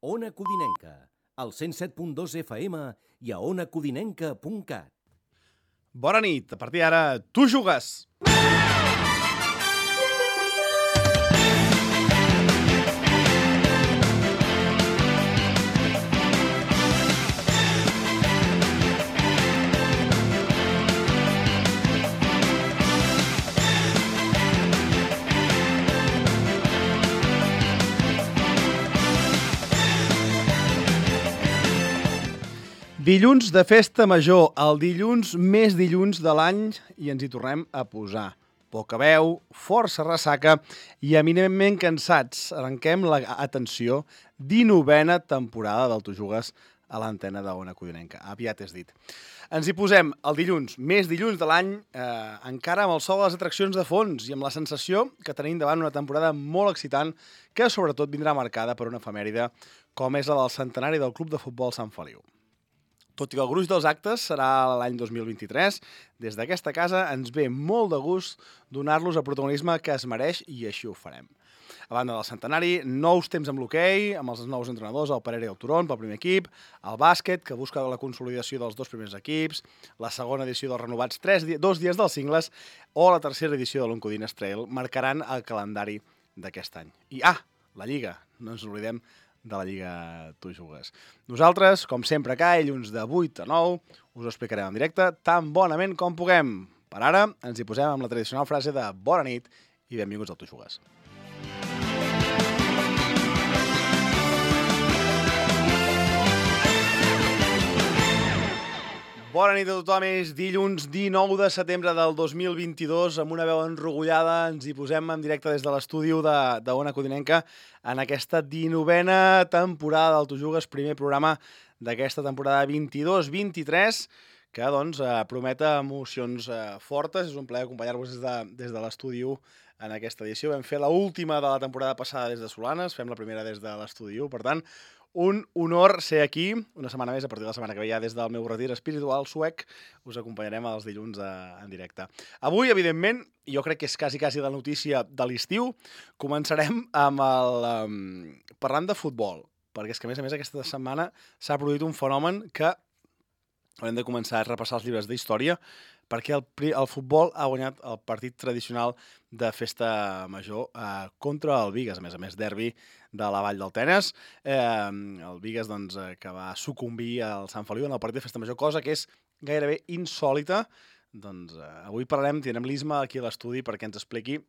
Ona Codinenca, al 107.2 FM i a onacodinenca.cat. Bona nit, a partir d'ara, tu jugues! Dilluns de festa major, el dilluns més dilluns de l'any, i ens hi tornem a posar. Poca veu, força ressaca i eminentment cansats. Arrenquem la, atenció, 19a temporada del Tu Jugues a l'antena d'Ona Codinenca. Aviat és dit. Ens hi posem el dilluns, més dilluns de l'any, encara amb el sol de les atraccions de fons i amb la sensació que tenim davant una temporada molt excitant que sobretot vindrà marcada per una efemèride com és la del centenari del Club de Futbol Sant Feliu. Tot i que el gruix dels actes serà l'any 2023, des d'aquesta casa ens ve molt de gust donar-los el protagonisme que es mereix i així ho farem. A banda del centenari, nous temps amb l'hoquei, amb els nous entrenadors, el Pereira i el Turon pel primer equip, el bàsquet, que busca la consolidació dels dos primers equips, la segona edició dels renovats 2 dies dels cingles o la tercera edició de l'Oncodines Trail marcaran el calendari d'aquest any. I, la Lliga, no ens oblidem de la Lliga Tu Jugues. Nosaltres, com sempre, cada dilluns de 8 a 9, us ho explicarem en directe tan bonament com puguem. Per ara, ens hi posem amb la tradicional frase de bona nit i benvinguts al Tu Jugues. Bona nit a tothom, és dilluns 19 de setembre del 2022, amb una veu enrogullada, ens hi posem en directe des de l'estudi d'Ona Codinenca en aquesta 19a temporada del Tu Jugues, primer programa d'aquesta temporada 22-23, que doncs promet emocions fortes. És un plaer acompanyar-vos des de l'estudi en aquesta edició. Vam fer l'última de la temporada passada des de Solanes, fem la primera des de l'estudi, per tant, un honor ser aquí, una setmana més, a partir de la setmana que ve ja des del meu retir espiritual suec, us acompanyarem els dilluns en directe. Avui, evidentment, jo crec que és quasi la notícia de l'estiu, començarem amb parlant de futbol, perquè és que a més aquesta setmana s'ha produït un fenomen que haurem de començar a repassar els llibres d'història, perquè el futbol ha guanyat el partit tradicional de festa major contra el Bigues, a més derbi de la Vall del Tenes. El Bigues doncs, que va sucumbir al Sant Feliu en el partit de festa major, cosa que és gairebé insòlita. Doncs, avui tindrem l'Isma aquí a l'estudi perquè ens expliqui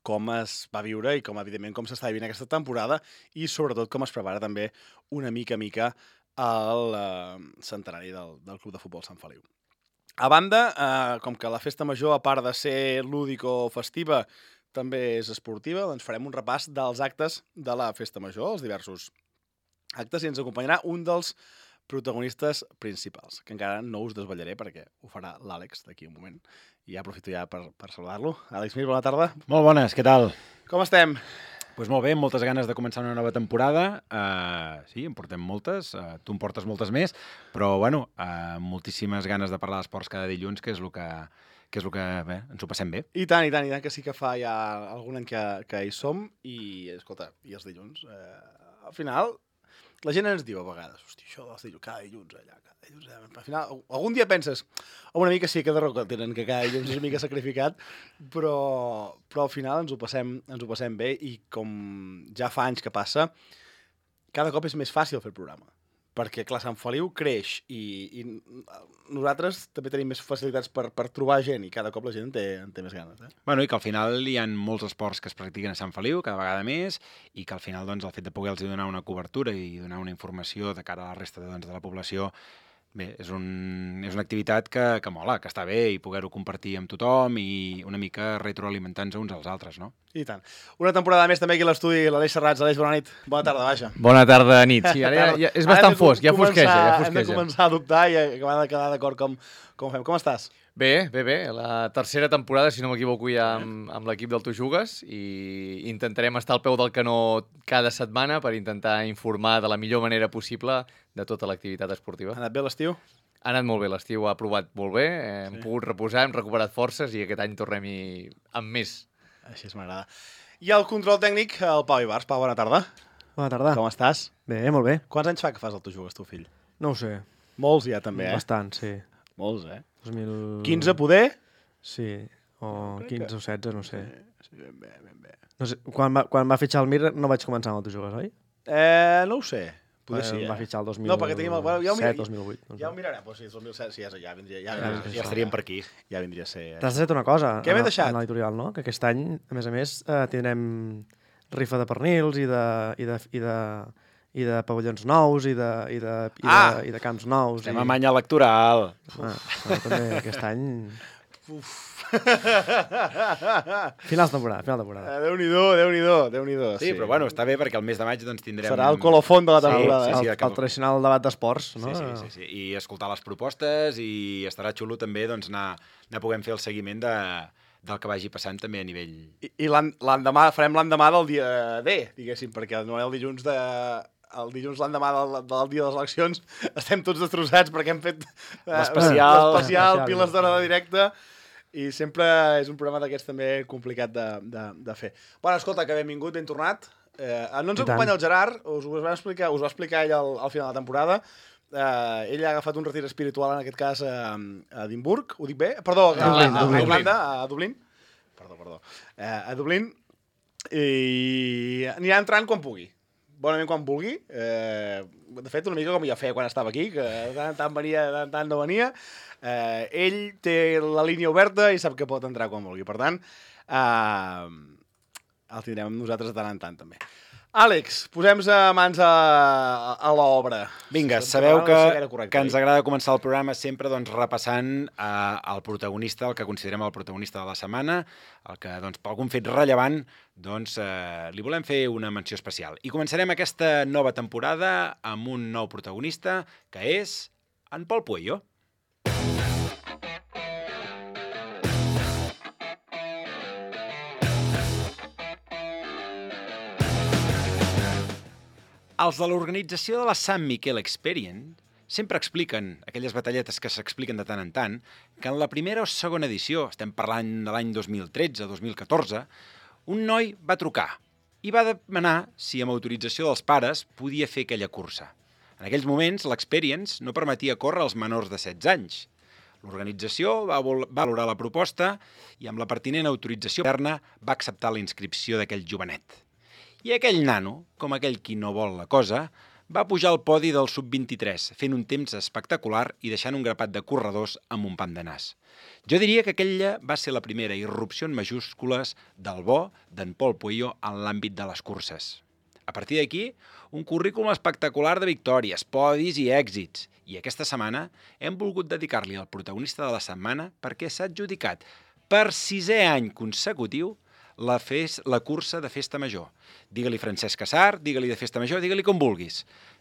com es va viure i evidentment com s'està vivint aquesta temporada i sobretot com es prepara també una mica el centenari del Club de Futbol Sant Feliu. A banda, com que la festa major, a part de ser lúdico-festiva, també és esportiva, doncs farem un repàs dels actes de la festa major, els diversos actes, i ens acompanyarà un dels protagonistes principals, que encara no us desvetllaré perquè ho farà l'Àlex d'aquí un moment. I aprofito ja per saludar-lo. Àlex Mir, bona tarda. Molt bones, què tal? Com estem? Doncs molt bé, moltes ganes de començar una nova temporada. Sí, en portem moltes, tu en portes moltes més, però bueno, moltíssimes ganes de parlar d'esports cada dilluns, que és el que bé, ens ho passem bé. I tant, que sí que fa ja algun any que hi som, i escolta, i els dilluns, al final, la gent ens diu a vegades, hosti, això dels dilluns, cada dilluns allà, al final, algun dia penses, una mica sí que de raó que tenen, que cada dilluns és una mica sacrificat, però al final ens ho passem bé i com ja fa anys que passa, cada cop és més fàcil fer el programa. Perquè, clar, Sant Feliu creix i nosaltres també tenim més facilitats per trobar gent i cada cop la gent en té més ganes. Bueno, i que al final hi ha molts esports que es practiquen a Sant Feliu, cada vegada més, i que al final doncs, el fet de poder-los donar una cobertura i donar una informació de cara a la resta de la població, bé, és una activitat que mola, que està bé, i poder-ho compartir amb tothom i una mica retroalimentar-nos uns als altres, no? I tant. Una temporada més també aquí a l'estudi, l'Aleix Serrats. Aleix, bona nit. Bona tarda, vaja. Bona tarda, nit. Sí, ara ja és bastant fosc, ja fosqueja. Hem de començar a dubtar i acabar de quedar d'acord com fem. Com estàs? Bé. La tercera temporada, si no m'equivoco, ja amb l'equip del Tu Jugues, i intentarem estar al peu del canó cada setmana per intentar informar de la millor manera possible de tota l'activitat esportiva. Ha anat bé l'estiu? Ha anat molt bé, l'estiu ha provat molt bé, hem pogut reposar, hem recuperat forces i aquest any tornem-hi amb més. Així m'agrada. I el control tècnic, el Pau Ibars. Pau, bona tarda. Bona tarda. Com estàs? Bé, molt bé. Quants anys fa que fas el Tu Jugues, tu, fill? No ho sé. Molts ja, també, Bastant, sí. Molts, 2000... 15, poder? Sí, o 15 o 16, no sé. Sí, ben bé. No sé. Quan va fitxar el Mir no vaig començar amb el Tu Jugues, oi? No ho sé. Poder sí, Va fitxar el 2007, No, perquè tenim... Bueno, 2008. Ja ho mirarem, però sí, 2007, sí, ja vindria... Ja estaríem per aquí. Ja vindria a ser... T'has de una cosa. Què m'he deixat? En l'editorial, no? Que aquest any, a més, tindrem rifa de pernils i de pavellons nous i de camps nous. Estem a manya electoral. Però també aquest any... Final de temporada. Déu-n'hi-do. Sí, però bueno, està bé perquè el mes de maig doncs tindrem... Serà el colofon de la temporada. Sí, El tradicional debat d'esports, no? Sí. I escoltar les propostes i estarà xulo també doncs, anar puguem fer el seguiment del que vagi passant també a nivell... I l'endemà, farem l'endemà del dia D, diguéssim, perquè no el dilluns l'endemà del dia de les eleccions estem tots destrossats perquè hem fet l'especial, piles d'hora de directe, i sempre és un programa d'aquests també complicat de fer. Bueno, escolta, que benvingut, ben tornat. No ens acompanya el Gerard, us ho va explicar ell al final de la temporada. Ell ha agafat un retir espiritual, en aquest cas, a Edimburg, ho dic bé? Perdó, a Dublín. Perdó. A Dublín, i anirà entrant quan pugui. Bonament quan vulgui. De fet, una mica com ja feia quan estava aquí, que de tant en tant venia, de tant en tant no venia. Ell té la línia oberta i sap que pot entrar quan vulgui. Per tant, el tindrem amb nosaltres de tant en tant, també. Àlex, posem mans a l'obra. Vinga, sabeu que ens agrada començar el programa sempre doncs, repassant el protagonista, el que considerem el protagonista de la setmana, el que doncs, per algun fet rellevant doncs, li volem fer una menció especial. I començarem aquesta nova temporada amb un nou protagonista, que és en Pol Pueyo. Els de l'organització de la Sant Miquel Experience sempre expliquen, aquelles batalletes que s'expliquen de tant en tant, que en la primera o segona edició, estem parlant de l'any 2013-2014, un noi va trucar i va demanar si amb autorització dels pares podia fer aquella cursa. En aquells moments, l'Experience no permetia córrer als menors de 16 anys. L'organització va valorar la proposta i amb la pertinent autorització interna va acceptar la inscripció d'aquell jovenet. I aquell nano, com aquell qui no vol la cosa, va pujar al podi del sub-23, fent un temps espectacular i deixant un grapat de corredors amb un pam de nas. Jo diria que aquella va ser la primera irrupció en majúscules del bo d'en Pol Pueyo en l'àmbit de les curses. A partir d'aquí, un currículum espectacular de victòries, podis i èxits. I aquesta setmana hem volgut dedicar-li al protagonista de la setmana perquè s'ha adjudicat per 6è any consecutiu la cursa de Festa Major. Digue-li Francesc Casar, digue-li de Festa Major, digue-li com vulguis.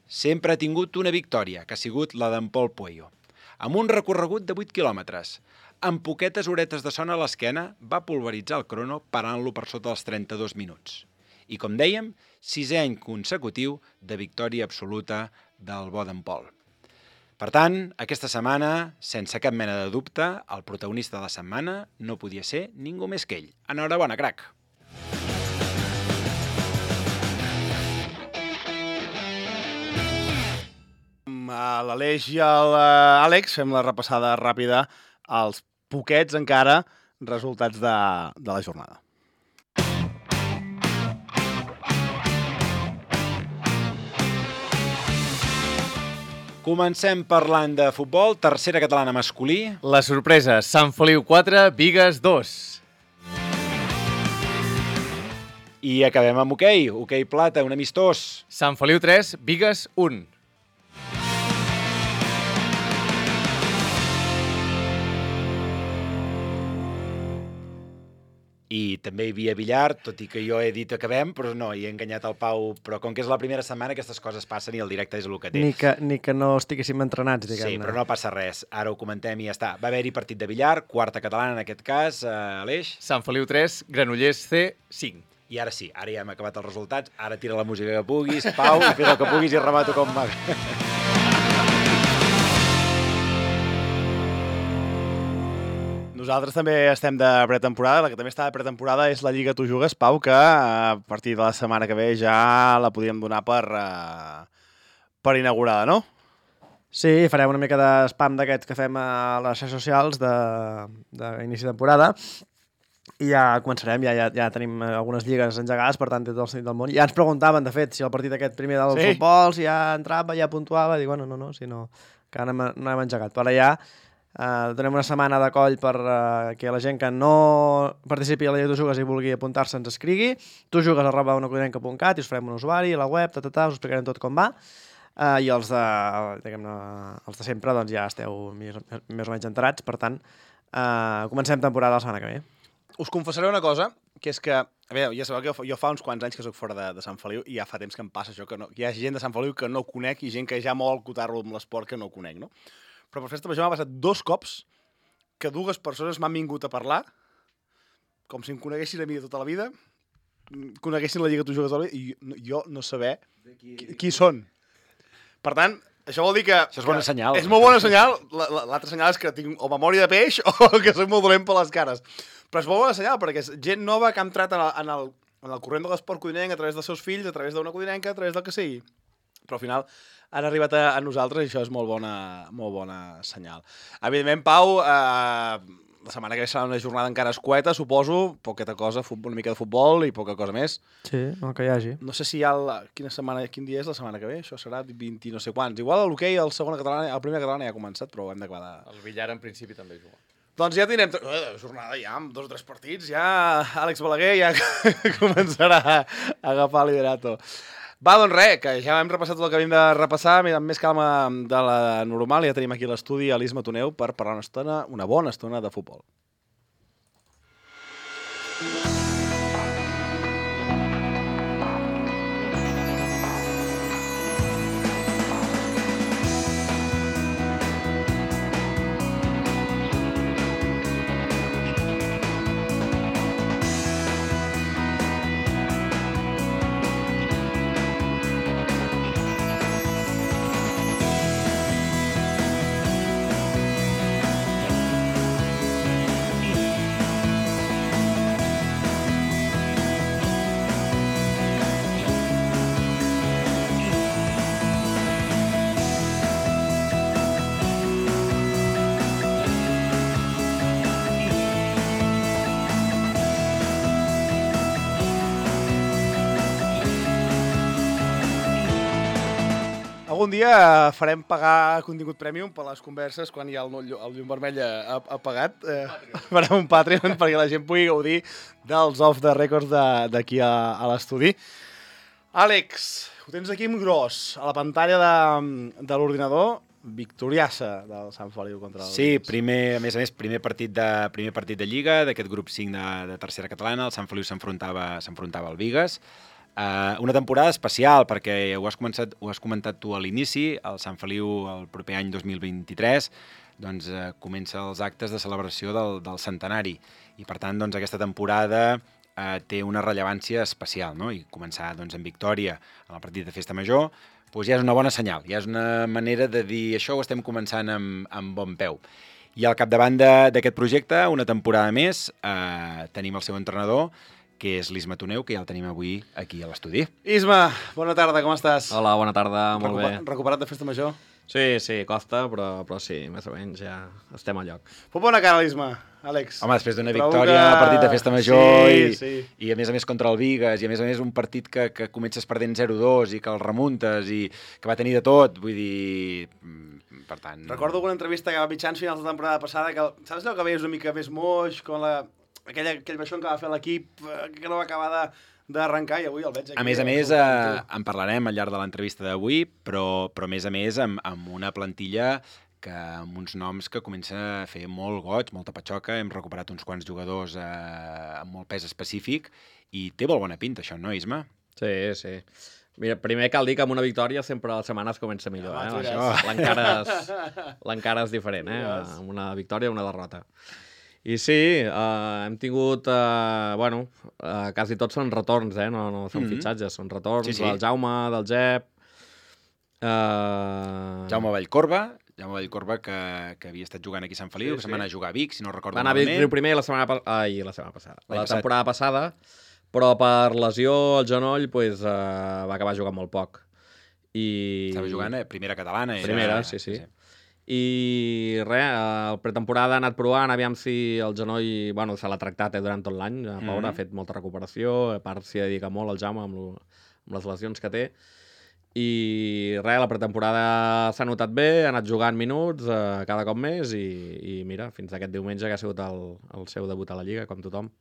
Sempre ha tingut una victòria, que ha sigut la d'en Pol Pueyo. Amb un recorregut de 8 quilòmetres, amb poquetes horetes de son a l'esquena, va pulveritzar el crono parant-lo per sota dels 32 minuts. I com dèiem, 6è any consecutiu de victòria absoluta del bo d'en Pol. Per tant, aquesta setmana, sense cap mena de dubte, el protagonista de la setmana no podia ser ningú més que ell. Enhorabona, crac! A l'Aleix i a l'Àlex fem la repassada ràpida als poquets encara resultats de la jornada. Comencem parlant de futbol, tercera catalana masculí. La sorpresa, Sant Feliu 4, Bigues 2. I acabem amb hoquei plata, un amistós. Sant Feliu 3, Bigues 1. I també hi havia billar, tot i que jo he dit acabem, però no, hi he enganyat el Pau. Però com que és la primera setmana, aquestes coses passen i el directe és el que té. Ni que no estiguéssim entrenats, diguem-ne. Sí, però no passa res. Ara ho comentem i ja està. Va haver-hi partit de billar, quarta catalana en aquest cas, Aleix. Sant Feliu 3, Granollers C, 5. I ara sí, ara ja hem acabat els resultats. Ara tira la música que puguis, Pau, i fes el que puguis i remato com m'agrada. Nosaltres també estem de pretemporada. La que també està de pretemporada és la Lliga Tu Jugues, Pau, que a partir de la setmana que ve ja la podíem donar per inaugurada, no? Sí, farem una mica de spam d'aquests que fem a les xarxes socials d'inici de temporada i ja començarem, ja tenim algunes lligues engegades, per tant, tot el sentit del món. Ja ens preguntaven, de fet, si el partit aquest primer del futbol, si ja entrava, ja puntuava, dic, bueno, no, si no, que no hem engegat. Però ja donem una setmana de coll per que la gent que no participi a la Lliga Tu Jugues i vulgui apuntar-se ens escrigui, tujugues@onacodinenca.cat i us farem un usuari, la web, us explicarem tot com va. I els de sempre doncs, ja esteu més o menys enterats, per tant, comencem temporada la setmana que ve. Us confessaré una cosa, que és que, a veure, ja sabeu que jo fa uns quants anys que soc fora de Sant Feliu i ja fa temps que em passa això, que no, hi ha gent de Sant Feliu que no conec i gent que ja vol acotar-lo amb l'esport que no conec, no? Però per festa major m'ha passat 2 cops que 2 persones m'han vingut a parlar, com si em coneguessin a mi de tota la vida, coneguessin la Lliga Tu Jugues i jo no saber qui són. Per tant, això vol dir que... Això és bona senyal. És molt bona senyal. L'altre senyal és que tinc o memòria de peix o que soc molt dolent per les cares. Però és molt bona senyal, perquè és gent nova que ha entrat en el corrent de l'esport codinenc a través dels seus fills, a través d'una codinenca, a través del que sigui. Però al final han arribat a nosaltres i això és molt bona senyal. Evidentment, Pau, la setmana que ve serà una jornada encara escueta, suposo, poqueta cosa, una mica de futbol i poca cosa més. Sí, el que hi hagi. No sé si hi ha quin dia és la setmana que ve, això serà 20 no sé quants. Igual l'hoquei, el primer català ja ha començat, però ho hem d'acabar El billar en principi també juga. Doncs ja tindrem jornada ja, amb 2 o 3 partits, ja Àlex Balaguer ja començarà a agafar el liderato. Va, doncs res, que ja hem repassat tot el que havíem de repassar, amb més calma de la normal. Ja tenim aquí a l'estudi a l'Isma Toneu per parlar una bona estona de futbol. Algun dia farem pagar contingut premium per les converses quan hi ha el llum vermell apagat. Farem un Patreon perquè la gent pugui gaudir dels off the records d'aquí a l'estudi. Àlex, ho tens aquí en gros, a la pantalla de l'ordinador, victoriassa del Sant Feliu contra el Sí, a més a més, primer partit de Lliga, d'aquest grup 5 de tercera catalana, el Sant Feliu s'enfrontava al Bigues. Una temporada especial, perquè ho has comentat tu a l'inici, el Sant Feliu el proper any 2023 doncs, comença els actes de celebració del centenari i per tant doncs, aquesta temporada té una rellevància especial, no? I començar doncs, en victòria en el partit de Festa Major doncs ja és una bona senyal, ja és una manera de dir això ho estem començant amb bon peu. I al capdavant d'aquest projecte, una temporada més, tenim el seu entrenador, que és l'Isma Toneu, que ja el tenim avui aquí a l'estudi. Isma, bona tarda, com estàs? Hola, bona tarda, molt bé. Recuperat de Festa Major? Sí, costa, però sí, més o menys ja estem a lloc. Fot bona cara, l'Isma, Àlex. Home, després d'una victòria al partit de Festa Major i a més contra el Bigues, i a més un partit que comences perdent 0-2 i que el remuntes i que va tenir de tot, vull dir... Per tant... Recordo alguna entrevista que va mitjans finals de temporada passada que, saps allò que veies una mica més moix, com aquell baixón que va fer l'equip, que no va acabar d'arrencar, i avui el veig aquí. A més, en parlarem al llarg de l'entrevista d'avui, però a més amb una plantilla amb uns noms que comença a fer molt goig, molta patxoca, hem recuperat uns quants jugadors amb molt pes específic, i té molt bona pinta això, no, Isma? Sí. Mira, primer cal dir que amb una victòria sempre la setmana es comença millor, l'encara és diferent, amb una victòria o una derrota. I sí, hem tingut, quasi tots són retorns, no són fitxatges, són retorns del Jaume, del Jep... Jaume Vallcorba, Jaume Vallcorba, que havia estat jugant aquí a Sant Feliu, que se'n va anar a jugar a Vic, si no recordo Va anar a Vic malament. Riu primer la setmana passada. L'any La passat. temporada passada, però per lesió al genoll va acabar jugant molt poc. Estava jugant a primera catalana. Primera, sí. I res, el pretemporada ha anat provant, aviam si el genoll... Bueno, se l'ha tractat durant tot l'any, pobre, ha fet molta recuperació, a part s'hi dedica molt el Jaume amb les lesions que té. I res, la pretemporada s'ha notat bé, ha anat jugant minuts cada cop més i mira, fins aquest diumenge que ha sigut el seu debut a la Lliga, com tothom.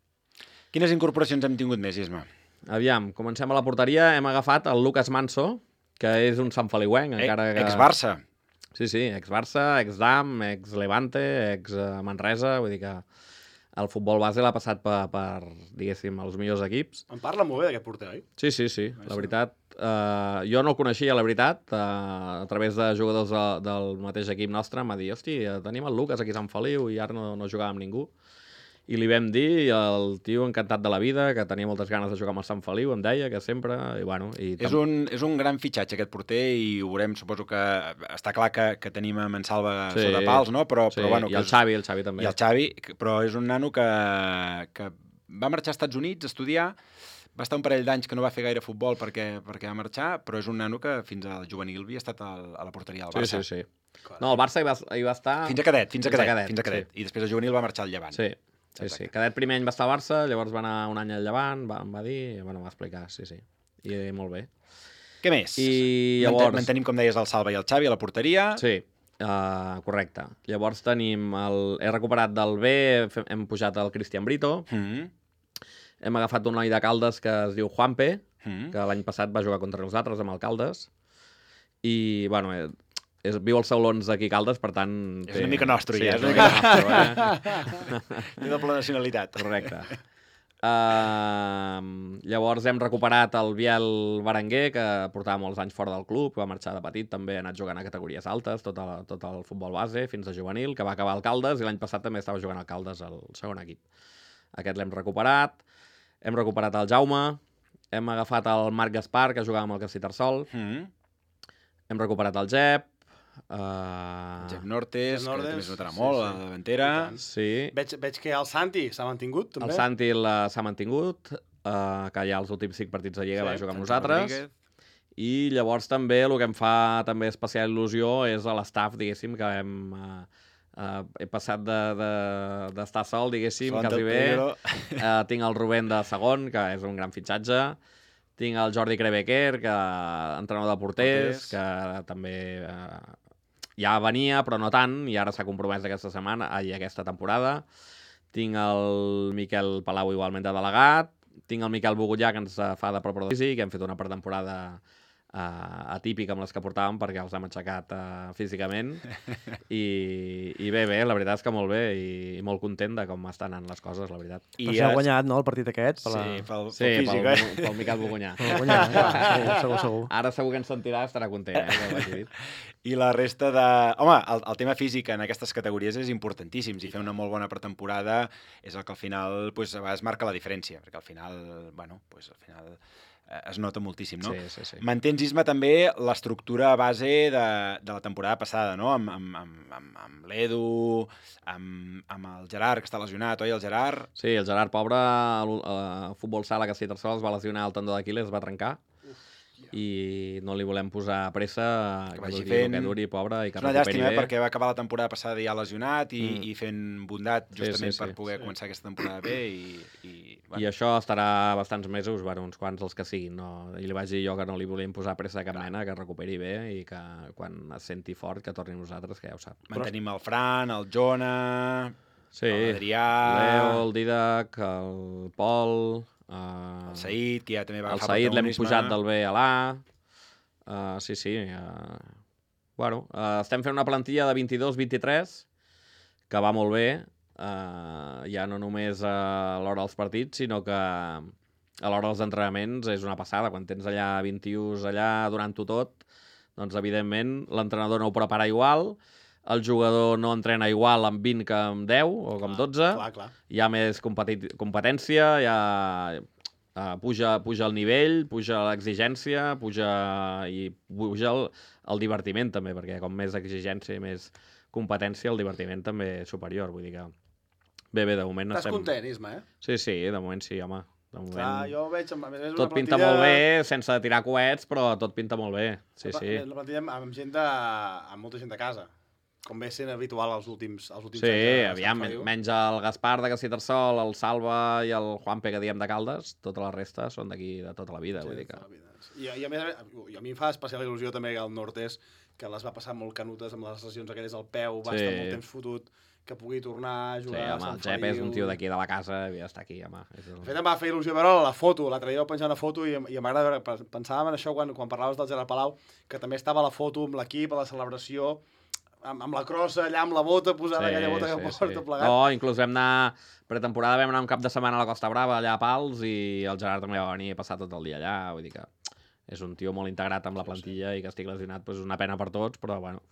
Quines incorporacions hem tingut més, Isma? Aviam, comencem a la porteria, hem agafat el Lucas Manso, que és un Sant Feliuenc, encara que... Ex-Barça. Sí, ex-Barça, ex-Dam, ex-Levante, ex-Manresa, vull dir que el futbol base l'ha passat per, diguéssim, els millors equips. Em parla molt bé d'aquest porter, oi? Sí, la veritat. Jo no el coneixia, la veritat, a través de jugadors del mateix equip nostre, em va dir, hosti, tenim el Lucas aquí a Sant Feliu i ara no jugava amb ningú. I li vam dir, i el tio encantat de la vida, que tenia moltes ganes de jugar amb el Sant Feliu, em deia que sempre, i bueno... És un gran fitxatge aquest porter i ho veurem, suposo que està clar que tenim a Mansalva sota pals, no? Però bueno, i el Xavi també. I el Xavi, però és un nano que va marxar als Estats Units a estudiar, va estar un parell d'anys que no va fer gaire futbol perquè va marxar, però és un nano que fins al juvenil havia estat a la porteria del Barça. Sí. No, el Barça hi va estar... Fins a cadet. Sí. I després el juvenil va marxar al Llevant. Sí. Cadet primer any va estar a Barça, llavors va anar un any al Llevant, em va dir, bueno, va explicar, sí. I molt bé. Què més? I llavors... Mantenim, com deies, el Salva i el Xavi a la porteria. Sí, correcte. Llavors tenim he recuperat del B, hem pujat el Cristian Brito, hem agafat un noi de Caldes que es diu Juanpe, que l'any passat va jugar contra nosaltres amb el Caldes, i, bueno, viu als Saulons d'aquí Caldes, per tant... És una mica nostre, sí, ja. És una mica nostre, Té doble nacionalitat. Correcte. Llavors hem recuperat el Biel Berenguer, que portava molts anys fora del club, va marxar de petit, també ha anat jugant a categories altes, tot el futbol base, fins a juvenil, que va acabar al Caldes, i l'any passat també estava jugant al Caldes, al segon equip. Aquest l'hem recuperat. Hem recuperat el Jaume, hem agafat el Marc Gaspar, que jugava amb el Castellterçol, hem recuperat el Jep, Jep Nortes, que també es notarà molt, a la davantera. Sí. Veig que el Santi s'ha mantingut, també. El Santi s'ha mantingut, que ja els últims 5 partits de Lliga va jugar amb nosaltres. I llavors també el que em fa també especial il·lusió és a l'estaf, diguéssim, que he passat d'estar sol, diguéssim, quasi bé. Tinc el Rubén de segon, que és un gran fitxatge. Tinc el Jordi Crebequer, entrenador de porters, que també ja venia, però no tant, i ara s'ha compromès aquesta temporada. Tinc el Miquel Palau, igualment de delegat. Tinc el Miquel Bogullà, que ens fa de preparador físic, que hem fet una pretemporada atípica amb les que portàvem perquè els hem aixecat físicament i bé, la veritat és que molt bé i molt content de com estan anant les coses, la veritat. Però s'ha guanyat, no, el partit aquest? Pel físic, pel Miquel Bogunyà. Segur. Ara segur que ens sentirà, estarà content, que l'hagi dit. I la resta de... Home, el tema físic en aquestes categories és importantíssim. Si fer una molt bona pretemporada és el que al final a vegades marca la diferència, perquè al final, es nota moltíssim, no? Sí. Mantens, Isma, també l'estructura base de la temporada passada, no? Amb l'Edu, amb el Gerard, que està lesionat, oi, el Gerard? Sí, el Gerard, pobre, a futbol sala que Castellterçol es va lesionar el tendó d'Aquil·les, es va trencar, i no li volem posar pressa, que vagi fent... que duri, pobre, i que recuperi bé. És una llàstima, perquè va acabar la temporada passada ja lesionat i fent bondat justament per poder començar aquesta temporada bé I això estarà bastants mesos, uns quants els que siguin, no? I li vaig dir jo que no li volíem posar pressa de cap mena, que recuperi bé i que quan es senti fort que torni a nosaltres, que ja ho sap. Mantenim el Fran, el Jona, l'Adrià... Leo, el Didac, el Pol... el Saïd, que ja també va agafar protagonisme. El Saïd l'hem pujat del B a l'A. Sí. Bueno, estem fent una plantilla de 22-23 que va molt bé, ja no només a l'hora dels partits, sinó que a l'hora dels entrenaments és una passada. Quan tens allà 21 allà durant-ho tot, doncs evidentment l'entrenador no ho prepara igual, el jugador no entrena igual amb 20 que amb 10 o amb 12, clar. Hi ha més competència, puja el nivell, puja l'exigència, puja el divertiment també, perquè com més exigència i més competència, el divertiment també és superior, vull dir que... Bé, de moment Estàs content, Isma, Sí, de moment sí, home. De moment... Clar, jo veig... A més, tot pinta molt bé, sense tirar coets, però tot pinta molt bé. Sí. La plantilla amb molta gent de casa, com ve sent habitual els últims anys. Sí, aviam, menys el Gaspar de Castellterçol, el Salva i el Juanpe que diem de Caldes, tota la resta són d'aquí de tota la vida, vull dir que... I a mi em fa especial il·lusió també que el Nortes, que les va passar molt canutes amb les lesions aquelles al peu, va estar molt temps fotut, que pugui tornar a jugar a Sant Feliu. Sí, home, el Jep és un tio d'aquí de la casa, havia d'estar aquí, home. De fet, em va fer il·lusió veure la foto, l'altre dia vaig penjar una foto i m'agrada veure, pensàvem en això quan parlaves del Gerard Palau, que també estava a la foto amb l'equip, a la celebració, amb la crossa allà, amb la bota posada, aquella bota que porta plegat. No, inclús vam anar, pretemporada vam anar un cap de setmana a la Costa Brava, allà a Pals, i el Gerard també va venir a passar tot el dia allà, vull dir que és un tio molt integrat amb la plantilla i que estic lesionat, doncs és una pena per tots, però bueno,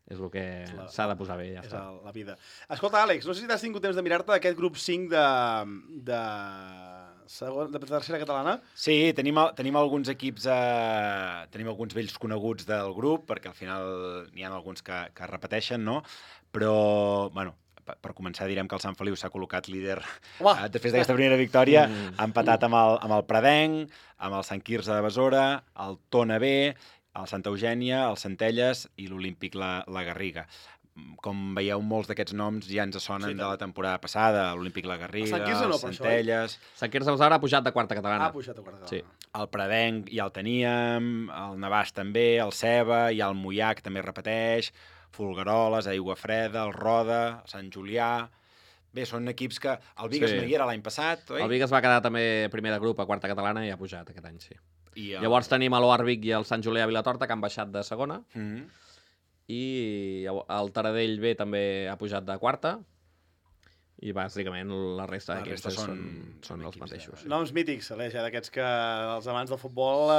és el que s'ha de posar bé, ja està. És la vida. Escolta, Àlex, no sé si t'has tingut temps de mirar-te aquest grup 5 de tercera catalana. Sí, tenim alguns equips, tenim alguns vells coneguts del grup, perquè al final n'hi ha alguns que repeteixen, no? Però, bueno, per començar direm que el Sant Feliu s'ha col·locat líder després d'aquesta primera victòria, ha empatat amb el Pradenc, amb el Sant Quirze de Besora, el Tona B, el Santa Eugènia, el Centelles i l'Olímpic la Garriga. Com veieu, molts d'aquests noms ja ens sonen de la temporada passada, l'Olímpic la Garriga, el Centelles... Sant Quirze de Besora ha pujat de quarta catalana. Ha pujat de quarta catalana. Sí. El Pradenc ja el teníem, el Navàs també, el Ceba, i el Moià, que també repeteix, Folgueroles, Aigua Freda, el Roda, el Sant Julià... Bé, són equips que... El Bigues no hi era l'any passat, oi? El Bigues va quedar també primer de grup a quarta catalana i ha pujat aquest any, sí. Llavors tenim l'Oarvic i el Sant Julià Vilatorta, que han baixat de segona, i el Taradell B també ha pujat de quarta, i bàsicament la resta d'equips són els mateixos. Noms mítics, Aleix, d'aquests que els amants del futbol...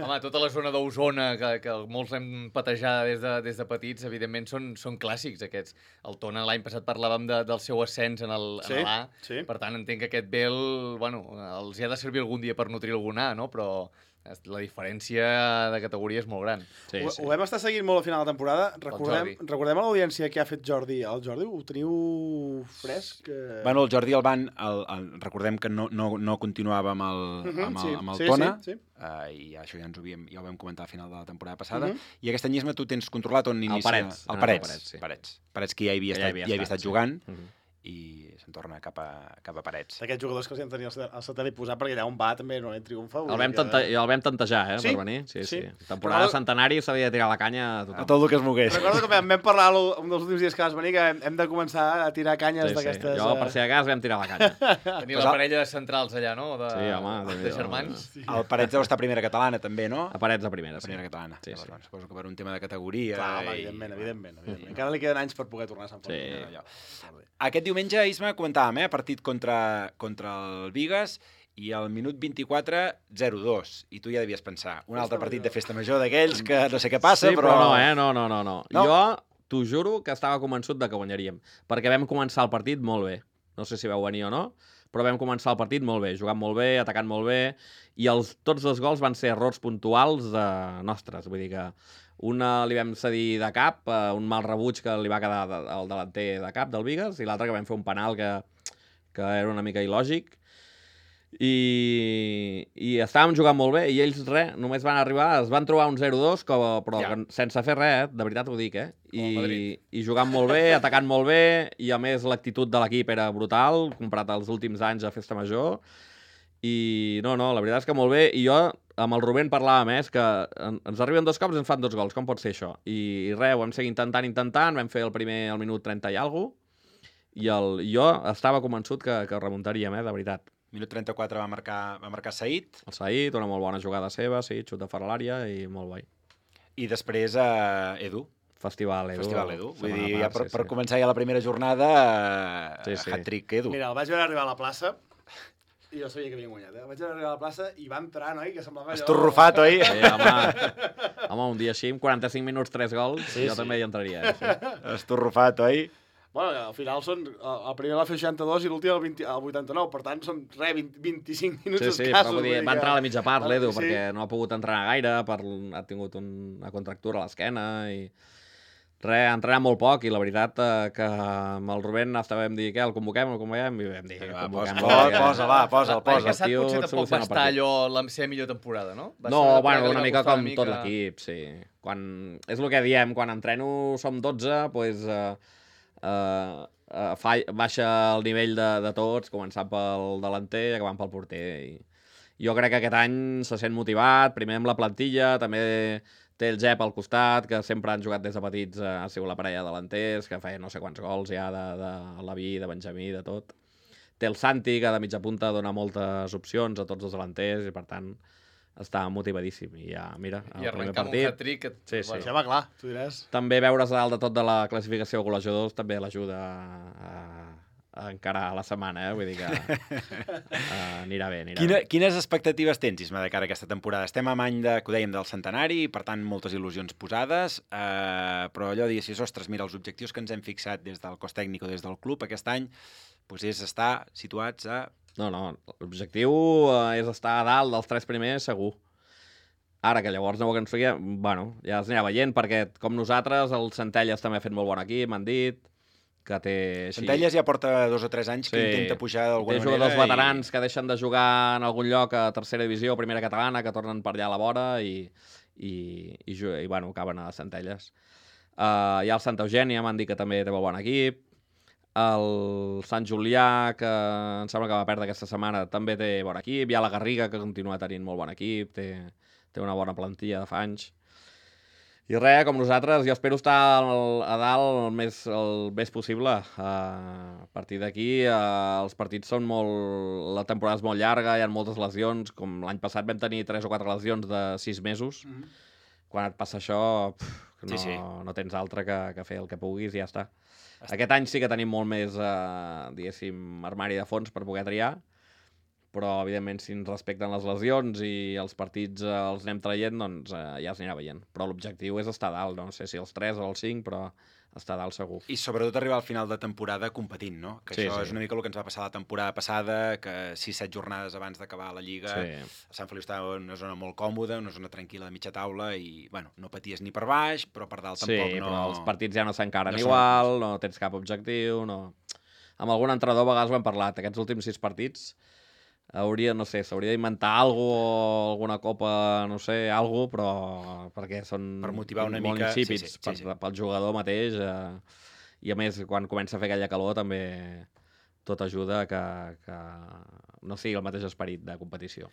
Home, tota la zona d'Osona, que molts hem patejat des de petits, evidentment són clàssics aquests. El Tona l'any passat parlàvem del seu ascens en l'A, per tant entenc que aquest Bel, bueno, els hi ha de servir algun dia per nutrir algun A, no? Però la diferència de categoria és molt gran. Ho vam estar seguint molt al final de la temporada. Recordem a l'audiència què ha fet Jordi. El Jordi ho teniu fresc? Bueno, el Jordi Alban, recordem que no continuava amb el Tona, i això ja ho vam comentar al final de la temporada passada, i aquest anyisme tu tens controlat on inicia... El Parets, que ja havia estat jugant, i se'n torna cap a Parets. D'aquests jugadors que els hem tenir al satèl·lit posat, perquè allà on va també no triomfa. El vam tantejar, per venir. Sí. Temporada centenari s'havia de tirar la canya a tothom. A tot el que es mogués. Recordo que vam parlar un dels últims dies que vas venir que hem de començar a tirar canyes d'aquestes... Jo, per si de cas, vam tirar la canya. Tenia la parella de centrals allà, no? Sí, home. De germans. El Parets deu estar a primera catalana, també, no? A Parets a primera, sí. A primera catalana. Suposo que per un tema de categoria... Clar, evidentment. Encara li queden anys per poder tornar a Sant Feliu. Aquest diumenge, Isma, comentàvem, partit contra el Bigues, i al minut 24, 0-2. I tu ja devies pensar, un altre partit de festa major d'aquells que no sé què passa, però... No. Jo t'ho juro que estava convençut de que guanyaríem, perquè vam començar el partit molt bé. No sé si vau venir o no, però vam començar el partit molt bé, jugant molt bé, atacant molt bé, i tots els gols van ser errors puntuals nostres, vull dir que una li vam cedir de cap, un mal rebuig que li va quedar al delanter de cap del Bigues, i l'altre que vam fer un penal que era una mica il·lògic, i estàvem jugant molt bé, i ells només van arribar, es van trobar un 0-2, però sense fer res, de veritat ho dic, i jugant molt bé, atacant molt bé, i a més l'actitud de l'equip era brutal, comparat als últims anys a Festa Major, i no, la veritat és que molt bé, i jo amb el Rubén parlàvem, que ens arriben 2 cops i ens fan 2 gols, com pot ser això? I res, ho vam seguir intentant, vam fer el primer al minut 30 i alguna cosa, i jo estava convençut que remuntaríem, de veritat. Minut 34 va marcar Said. El Said, una molt bona jugada seva, sí, xut de fora a l'àrea i molt bé. I després Edu. Festival Edu. Vull dir, ja per començar ja la primera jornada, hat-trick Edu. Mira, el vaig veure arribar a la plaça, i jo sabia que havien guanyat, Vaig arribar a la plaça i va entrar, noi, que semblava allò... Estorrufat, oi? Home, un dia així, amb 45 minuts, 3 gols, jo també hi entraria. Estorrufat, oi? Bueno, al final són... El primer va fer 62 i l'últim el 89, per tant són 25 minuts escassos. Però vull dir, va entrar a la mitja part, l'Edu, sí. perquè no ha pogut entrenar gaire, ha tingut una contractura a l'esquena i... ha entrenat molt poc i la veritat que amb el Rubén estàvem dir, què, el convoquem? I vam dir, Posa'l. L'any passat potser tampoc va estar allò la seva millor temporada, no? Una mica com tot l'equip, sí. És el que diem, quan entreno som 12, doncs baixa el nivell de tots, començant pel delanter i acabant pel porter. Jo crec que aquest any se sent motivat, primer amb la plantilla, també té el Jep al costat, que sempre han jugat des de petits, ha sigut la parella de delanters, que feia no sé quants gols ja de Laví, de Benjamí, de tot. Té el Santi, que de mitja punta dona moltes opcions a tots els delanters i per tant està motivadíssim. I ja, mira, el primer partit... I arrencar un hat-trick... Sí. Ja va clar, tu diràs. També veure's a dalt de tot de la classificació de golejadors també l'ajuda a encarar la setmana, vull dir que anirà bé. Quines expectatives tens, Isma, de cara a aquesta temporada? Estem a any que ho dèiem, del centenari, per tant, moltes il·lusions posades, però allò de dir, ostres, mira, els objectius que ens hem fixat des del cos tècnic o des del club aquest any és estar situats a... No, l'objectiu és estar a dalt dels 3 primers, segur. Ara, que llavors no ho aconseguia, bueno, ja es anirà veient, perquè com nosaltres, el Centelles també ha fet molt bon equip, m'han dit, que té... Centelles ja porta 2 o 3 anys que intenta pujar d'alguna manera. Té jugadors veterans que deixen de jugar en algun lloc a tercera divisió o primera catalana, que tornen per allà a la vora i bueno, acaben a Centelles. Hi ha el Santa Eugènia, m'han dit que també té molt bon equip. El Sant Julià, que em sembla que va perdre aquesta setmana, també té bon equip. Hi ha la Garriga, que continua tenint molt bon equip, té una bona plantilla de fa anys. I res, com nosaltres, jo espero estar a dalt el més possible. A partir d'aquí, els partits són molt... La temporada és molt llarga, hi ha moltes lesions, com l'any passat vam tenir 3 o 4 lesions de 6 mesos. Quan et passa això, no tens altre que fer el que puguis i ja està. Aquest any sí que tenim molt més, diguéssim, armari de fons per poder triar, però, evidentment, si ens respecten les lesions i els partits els anem traient, doncs ja es anirà veient. Però l'objectiu és estar a dalt, no sé si els 3 o els 5, però estar a dalt segur. I sobretot arribar al final de temporada competint, no? Que això és una mica el que ens va passar la temporada passada, que 6-7 jornades abans d'acabar la Lliga, Sant Feliu estava en una zona molt còmoda, una zona tranquil·la de mitja taula, i, bueno, no paties ni per baix, però per dalt tampoc no... Sí, però els partits ja no s'encaren igual, no tens cap objectiu, no... Amb algun entrenador a vegades ho hem parlat, aquests últims 6 partits s'hauria d'inventar alguna copa, no sé, però perquè són per motivar una molt mica insípids pel jugador mateix i a més quan comença a fer aquella calor també tot ajuda que no sigui el mateix esperit de competició.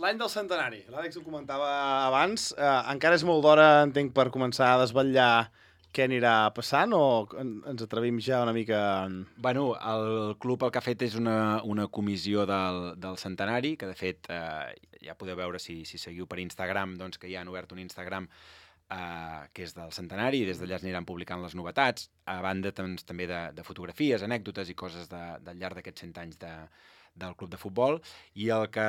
L'any del centenari, l'Àlex ho comentava abans, encara és molt d'hora, entenc, per començar a desvetllar què anirà passant o ens atrevim ja una mica... Bueno, el club el que ha fet és una comissió del centenari, que de fet ja podeu veure si seguiu per Instagram, doncs que ja han obert un Instagram que és del centenari i des d'allà es aniran publicant les novetats, a banda doncs, també de fotografies, anècdotes i coses del llarg d'aquests 100 anys del club de futbol, i el que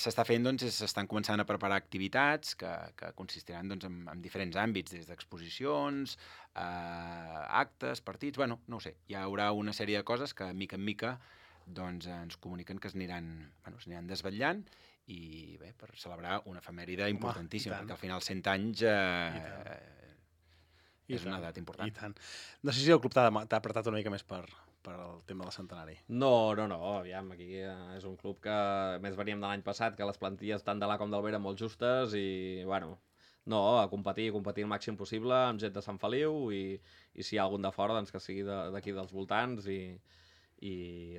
s'està fent doncs, és s'estan començant a preparar activitats que consistiran doncs, en diferents àmbits, des d'exposicions, actes, partits, bueno, no ho sé, hi haurà una sèrie de coses que mica en mica doncs, ens comuniquen que s'aniran desvetllant i bé, per celebrar una efemèride importantíssima, perquè al final 100 anys és una edat important. I tant. No sé si el club t'ha apretat una mica més per el tema del centenari. No, aviam, aquí és un club que més veníem de l'any passat, que les plantilles tant de l'A com del B eren molt justes i, bueno, a competir el màxim possible amb gent de Sant Feliu i si hi ha algun de fora, doncs que sigui d'aquí dels voltants i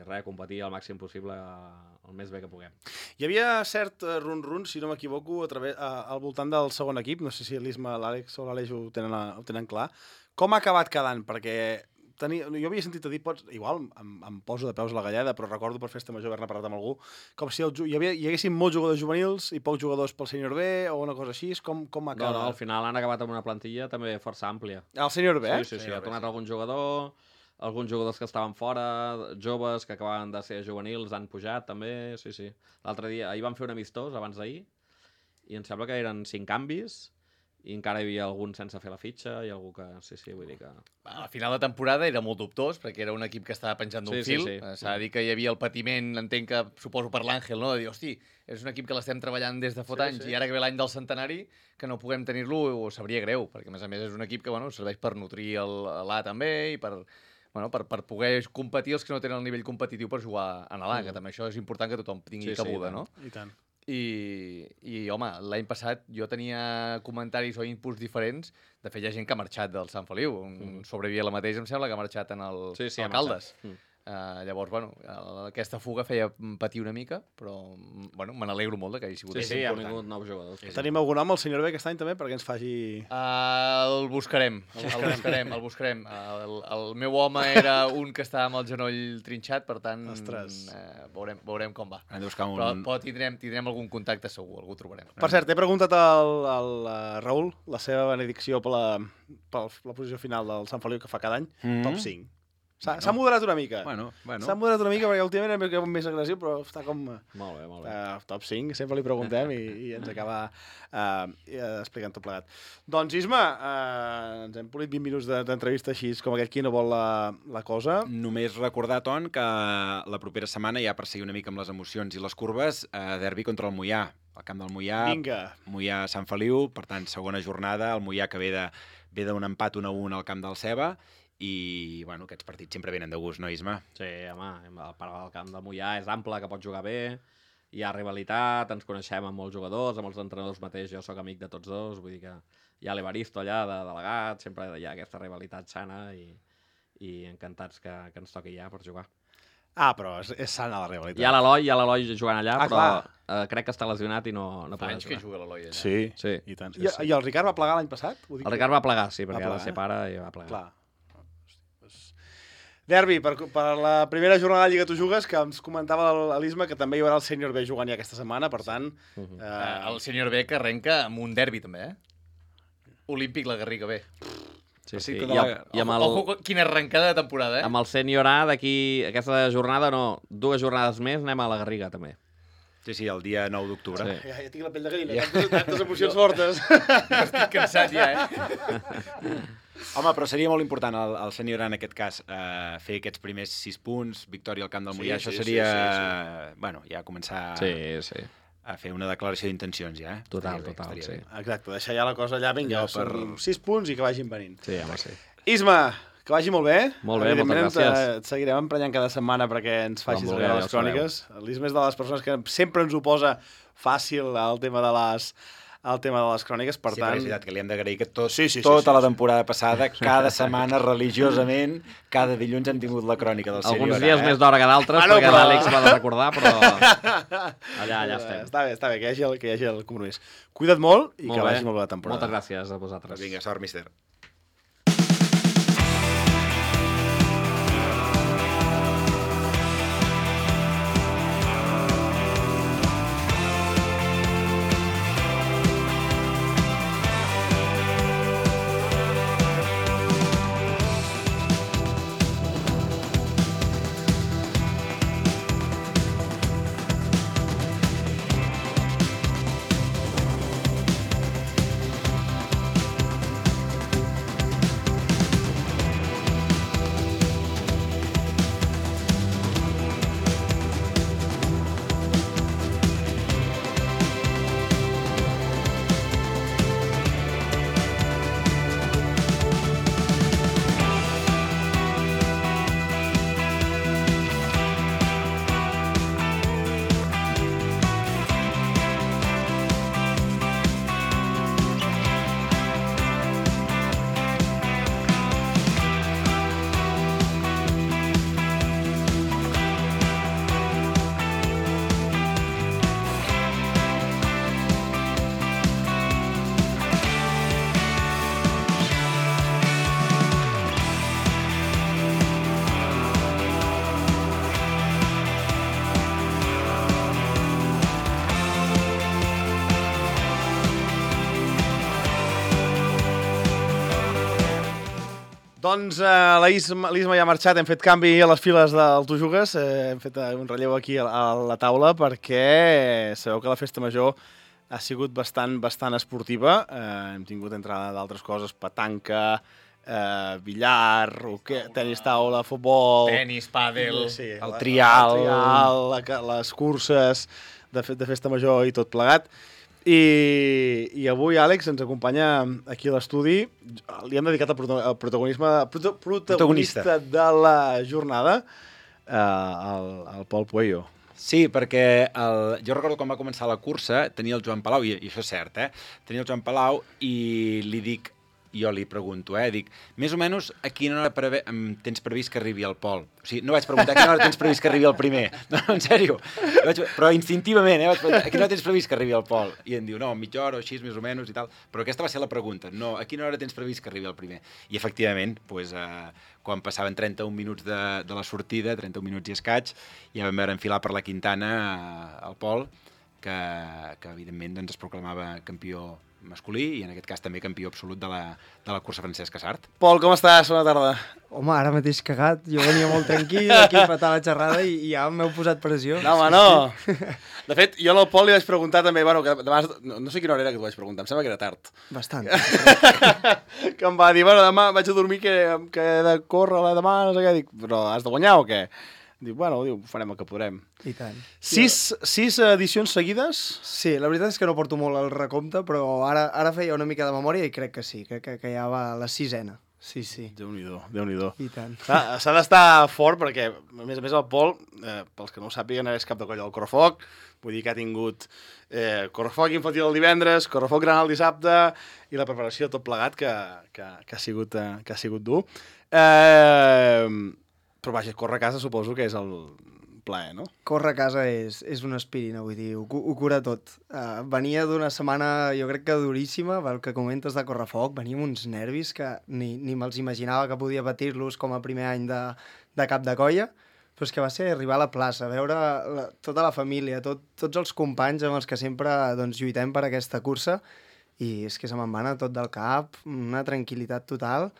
res, competir el màxim possible el més bé que puguem. Hi havia cert run-run, si no m'equivoco, al voltant del segon equip, no sé si l'Isma, l'Àlex o l'Aleix ho tenen clar. Com ha acabat quedant? Perquè jo havia sentit a dir, igual em poso de peus a la galleda, però recordo per festa major haver-ne parlat amb algú, com si hi haguessin molts jugadors juvenils i pocs jugadors pel sènior B o una cosa així, com ha acabat? No, al final han acabat amb una plantilla també força àmplia. El sènior B? Sí, ha tornat algun jugador, alguns jugadors que estaven fora, joves que acabaven de ser juvenils, han pujat també, sí. L'altre dia, ahir van fer un amistós abans d'ahir i em sembla que eren 5 canvis i encara hi havia algun sense fer la fitxa i algú que... Sí, vull dir que... A final de temporada era molt dubtós, perquè era un equip que estava penjant d'un fil. S'ha de dir que hi havia el patiment, entenc que, suposo per l'Àngel, no? De dir, hosti, és un equip que l'estem treballant des de fot anys i ara que ve l'any del centenari, que no puguem tenir-lo, ho sabria greu, perquè a més és un equip que serveix per nodrir l'A també i per poder competir els que no tenen el nivell competitiu per jugar a l'A, que també això és important que tothom tingui cabuda, no? I tant. I home, l'any passat jo tenia comentaris o inputs diferents. De fet, hi ha gent que ha marxat del Sant Feliu. Un sobrevivia la mateixa, em sembla, que ha marxat en el Caldes. Llavors, aquesta fuga feia patir una mica, però me n'alegro molt que hagi sigut. Sí, han vingut nous jugadors. Tenim algun home, el senyor B, aquest any també, perquè ens faci... El buscarem. El meu home era un que estava amb el genoll trinxat, per tant, veurem com va. Però tindrem algun contacte segur, algú trobarem. Per cert, he preguntat al Raül la seva benedicció per la posició final del Sant Feliu que fa cada any, top 5. S'ha moderat una mica. S'ha moderat una mica perquè últimament era més agressiu, però està com... Molt bé. Top 5, sempre li preguntem i ens acaba explicant tot plegat. Doncs, Isma, ens hem polit 20 minuts d'entrevista així com aquest qui no vol la cosa. Només recordar, Ton, que la propera setmana, ja per seguir una mica amb les emocions i les curves, derbi contra el Moià, al camp del Moià. Vinga. Moià-Sant Feliu, per tant, segona jornada, el Moià que ve d'un empat 1-1 al camp del Ceba, i aquests partits sempre venen de gust, no, Isma? Sí, home, el parc del camp del Moià és ample, que pot jugar bé, hi ha rivalitat, ens coneixem amb molts jugadors, amb els entrenadors mateix, jo sóc amic de tots dos, vull dir que hi ha l'Evaristo allà, de delegat, sempre hi ha aquesta rivalitat sana i encantats que ens toqui ja per jugar. Però és sana la rivalitat. Hi ha l'Eloi jugant allà, però crec que està lesionat i no fa anys que juga l'Eloi allà. Sí, i tant. I el Ricard va plegar l'any passat? El Ricard va plegar, sí, perquè ara ser pare i va plegar. Clar. Derbi, per la primera jornada de Lliga tu jugues, que ens comentava l'Isma que també hi haurà el sènior B jugant ja aquesta setmana, per tant... El sènior B que arrenca amb un derbi també, Olímpic la Garriga B. Sí. Ojo, quina arrencada de temporada, Amb el sènior A d'aquí, aquesta jornada, 2 jornades més, anem a la Garriga també. Sí, el dia 9 d'octubre. Sí. Ja tinc la pell de gallina, tantes emocions fortes. Estic cansat ja, Home, però seria molt important el sènior en aquest cas fer aquests primers 6 punts, victòria al camp del Moià, això seria... Bueno, ja començar a fer una declaració d'intencions, ja. Total, sí. Exacte, deixar ja la cosa allà, vinga, per 6 punts i que vagin venint. Sí, home, sí. Isma, que vagi molt bé. Molt bé, moltes gràcies. Et seguirem emprenyant cada setmana perquè ens facis arribar les cròniques. L'Isma és de les persones que sempre ens ho posa fàcil el tema de les cròniques, per tant... Sí, és veritat que li hem d'agrair que tota la temporada passada, cada setmana, religiosament, cada dilluns hem tingut la crònica del sènior. Alguns dies més d'hora que d'altres, perquè l'Àlex m'ha de recordar, però allà estem. Està bé, que hi hagi el compromís. Cuida't molt i que vagi molt bé la temporada. Moltes gràcies a vosaltres. Vinga, sort, míster. Doncs l'Isma ja ha marxat, hem fet canvi a les files del Tu Jugues, hem fet un relleu aquí a la taula perquè sabeu que la festa major Ha sigut bastant esportiva. Hem tingut entrada d'altres coses, petanca, billar, tenis taula, futbol... Tenis, pàdel... Sí, el trial, les curses de festa major i tot plegat. I avui, Àlex, ens acompanya aquí a l'estudi. Li hem dedicat el protagonista de la jornada, al Pol Pueyo. Sí, perquè jo recordo quan va començar la cursa, tenia el Joan Palau, i això és cert, tenia el Joan Palau i jo li pregunto, dic, més o menys a quina hora tens previst que arribi el Pol? O sigui, no vaig preguntar a quina hora tens previst que arribi el primer, no, en sèrio, però instintivament, vaig preguntar, a quina hora tens previst que arribi el Pol? I em diu, no, mitja hora o així, més o menys, i tal, però aquesta va ser la pregunta, no, a quina hora tens previst que arribi el primer? I efectivament, quan passaven 31 minuts de la sortida, 31 minuts i escaig, ja vam veure enfilar per la Quintana el Pol, que evidentment es proclamava campió masculí i en aquest cas també campió absolut de la cursa Francesc Casart. Pol, com estàs? Bona tarda. Home, ara mateix cagat. Jo venia molt tranquil, aquí patant la xerrada i ja m'heu posat pressió. No, home, no. De fet, jo al Pol li vaig preguntar també, que demà, no sé quina hora era que t'ho vaig preguntar, em sembla que era tard. Bastant. Que em va dir, demà vaig a dormir que he de córrer demà, no sé què. Dic, però has de guanyar o què? Diu, farem el que podrem. I tant. Sis edicions seguides? Sí, la veritat és que no porto molt el recompte, però ara feia una mica de memòria i crec que sí, crec que ja va la 6ena. Sí. Déu-n'hi-do. I tant. S'ha d'estar fort perquè, a més el Pol, pels que no ho sàpiguen, és cap de colla del Correfoc, vull dir que ha tingut Correfoc infantil el divendres, Correfoc gran el dissabte i la preparació tot plegat que ha sigut dur. Però vaja, córrer a casa suposo que és el plaer, no? Córrer a casa és una aspirina, vull dir, ho cura tot. Venia d'una setmana, jo crec que duríssima, pel que comentes de Correfoc, venia amb uns nervis que ni me'ls imaginava que podia patir-los com a primer any de cap de colla, però és que va ser arribar a la plaça, veure tota la família, tots els companys amb els que sempre lluitem per aquesta cursa, i és que se me'n va anar tot del cap, una tranquil·litat total,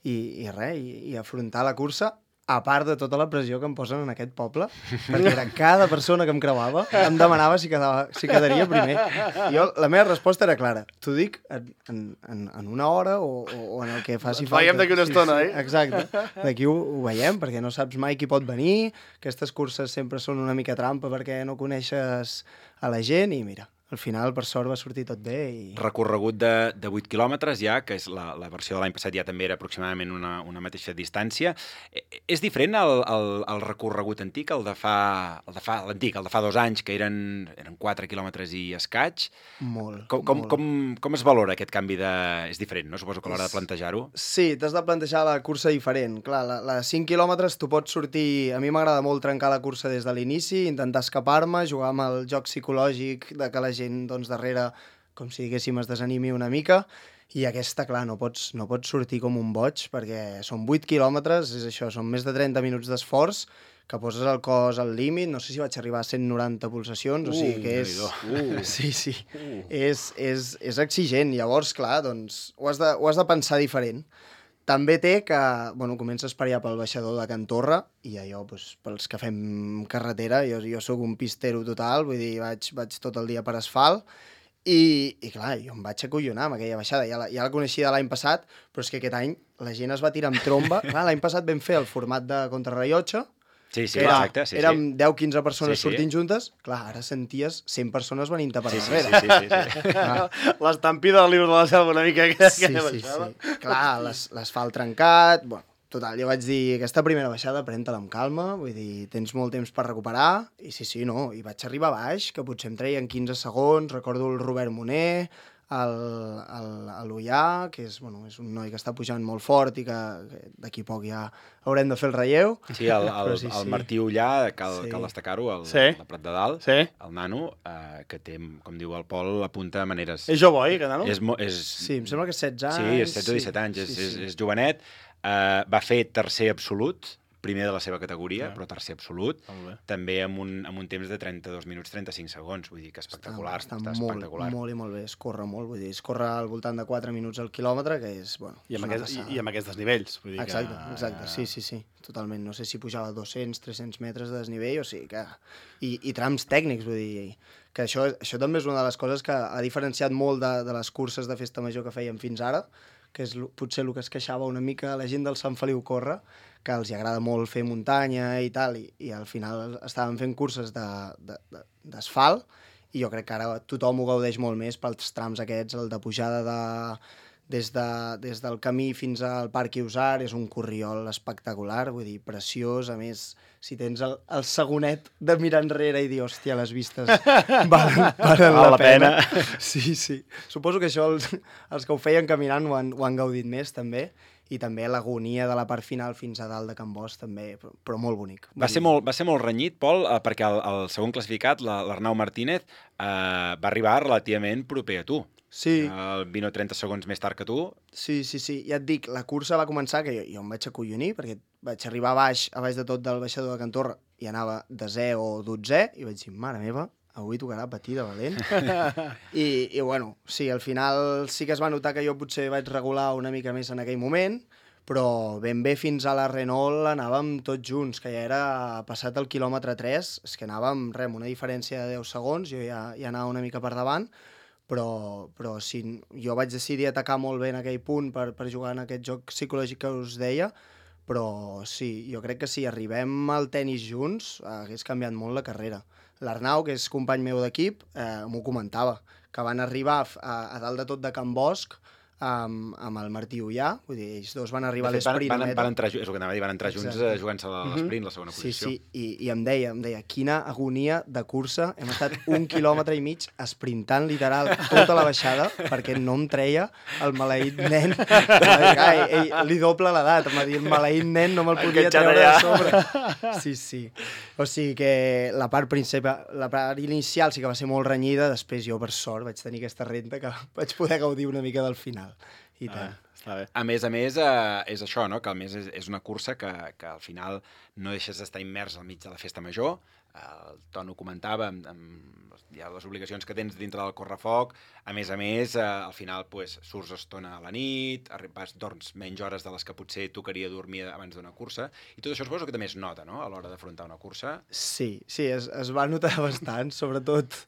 i res, i afrontar la cursa, a part de tota la pressió que em posen en aquest poble, perquè era cada persona que em creuava em demanava si quedaria primer. Jo, la meva resposta era clara. T'ho dic en una hora o en el que faci falta. Veiem d'aquí una estona, Exacte. D'aquí ho veiem, perquè no saps mai qui pot venir. Aquestes curses sempre són una mica trampa perquè no coneixes a la gent i mira, al final, per sort, va sortir tot bé. Recorregut de 8 quilòmetres ja, que és la versió de l'any passat ja també era aproximadament una mateixa distància. És diferent el recorregut antic, el de fa 2 anys, que eren 4 quilòmetres i escaig. Molt. Com es valora aquest canvi És diferent, no? Suposo que a l'hora de plantejar-ho. Sí, t'has de plantejar la cursa diferent. Clar, la 5 quilòmetres tu pots sortir... A mi m'agrada molt trencar la cursa des de l'inici, intentar escapar-me, jugar amb el joc psicològic de que la gent darrere, com si diguéssim, es desanimi una mica, i aquesta, clar, no pots sortir com un boig, perquè són 8 quilòmetres, és això, són més de 30 minuts d'esforç, que poses el cos al límit, no sé si vaig arribar a 190 pulsacions, o sigui que és... Sí. És exigent, llavors, clar, doncs, ho has de pensar diferent. També té que, comences per allà pel baixador de Can Torra, i allò, pels que fem carretera, jo sóc un pistero total, vull dir, vaig tot el dia per asfalt, i clar, jo em vaig acollonar amb aquella baixada, ja la coneixia de l'any passat, però és que aquest any la gent es va tirar amb tromba. Clar, l'any passat vam fer el format de contrarrellotge, Sí, exacte. Érem 10-15 persones sortint juntes. Clar, ara senties 100 persones venint-te per darrere. Sí. L'estampida del Libro de la Selva una mica. Sí. Clar, l'asfalt trencat... Total, jo vaig dir, aquesta primera baixada pren-te-la amb calma, vull dir, tens molt temps per recuperar, i i vaig arribar a baix, que potser em treien 15 segons, recordo el Robert Moner, l'Ullà, que és un noi que està pujant molt fort i que d'aquí a poc ja haurem de fer el relleu. Sí, el Martí Ullà, cal destacar-ho, el Prat de Dalt, el nano, que té, com diu el Pol, apunta a maneres... És jove, oi, que nano? Sí, em sembla que és 16 anys. Sí, és 16 o 17 anys, és jovenet. Va fer tercer absolut, primer de la seva categoria, però tercer absolut, també amb un temps de 32 minuts 35 segons, vull dir que espectacular. Està molt i molt bé, es corre molt, vull dir, es corre al voltant de 4 minuts al quilòmetre, que és, I amb aquests desnivells, vull dir que... Exacte, sí, totalment, no sé si pujava 200, 300 metres de desnivell, o sigui que... I trams tècnics, vull dir, que això també és una de les coses que ha diferenciat molt de les curses de festa major que fèiem fins ara, que és potser el que es queixava una mica la gent del Sant Feliu Corre, que els agrada molt fer muntanya i tal, i al final estaven fent curses d'asfalt, i jo crec que ara tothom ho gaudeix molt més pels trams aquests, el de pujada des del camí fins al Parc Iusar, és un corriol espectacular, vull dir, preciós, a més, si tens el segonet de mirar enrere i dir, hòstia, les vistes valen la pena. Sí. Suposo que això els que ho feien caminant ho han gaudit més, també, i també l'agonia de la part final fins a dalt de Can Bosch, també, però molt bonic. Va ser molt renyit, Pol, perquè el segon classificat, l'Arnau Martínez, va arribar relativament proper a tu. Sí. 20 o 30 segons més tard que tu. Sí. Ja et dic, la cursa va començar, que jo em vaig acollonir, perquè vaig arribar a baix de tot del baixador de Can Torra, i anava 10è o 12è, i vaig dir, mare meva, avui tocarà patir de valent. I bueno, sí, al final sí que es va notar que jo potser vaig regular una mica més en aquell moment, però ben bé fins a la Renault anàvem tots junts, que ja era passat el quilòmetre 3, és que anàvem, amb una diferència de 10 segons, jo ja anava una mica per davant, però sí, jo vaig decidir atacar molt bé en aquell punt per jugar en aquest joc psicològic que us deia, però sí, jo crec que si arribem al tennis junts hagués canviat molt la carrera. L'Arnau, que és company meu d'equip, m'ho comentava, que van arribar a dalt de tot de Can Bosch amb el Martí Ullà, vull dir, ells dos van arribar a l'esprint. Van entrar, és el que anava a dir, van entrar junts jugant-se l'esprint, la segona posició. Sí, i em deia, quina agonia de cursa, hem estat 1,5 quilòmetres esprintant literal tota la baixada, perquè no em treia el maleït nen. Ell li doble l'edat, em va dir, el maleït nen no me'l podia treure de sobre. Sí. O sigui que la part inicial sí que va ser molt renyida, després jo, per sort, vaig tenir aquesta renta que vaig poder gaudir una mica del final. I tant. Està bé. A més, és això, no? Que a més és una cursa que al final no deixes d'estar immers al mig de la festa major. El Ton ho comentava, hi ha les obligacions que tens dintre del correfoc. A més, al final surts estona a la nit, dorms menys hores de les que potser tocaria dormir abans d'una cursa. I tot això suposo que també es nota, no?, a l'hora d'afrontar una cursa. Sí, es va notar bastant, sobretot.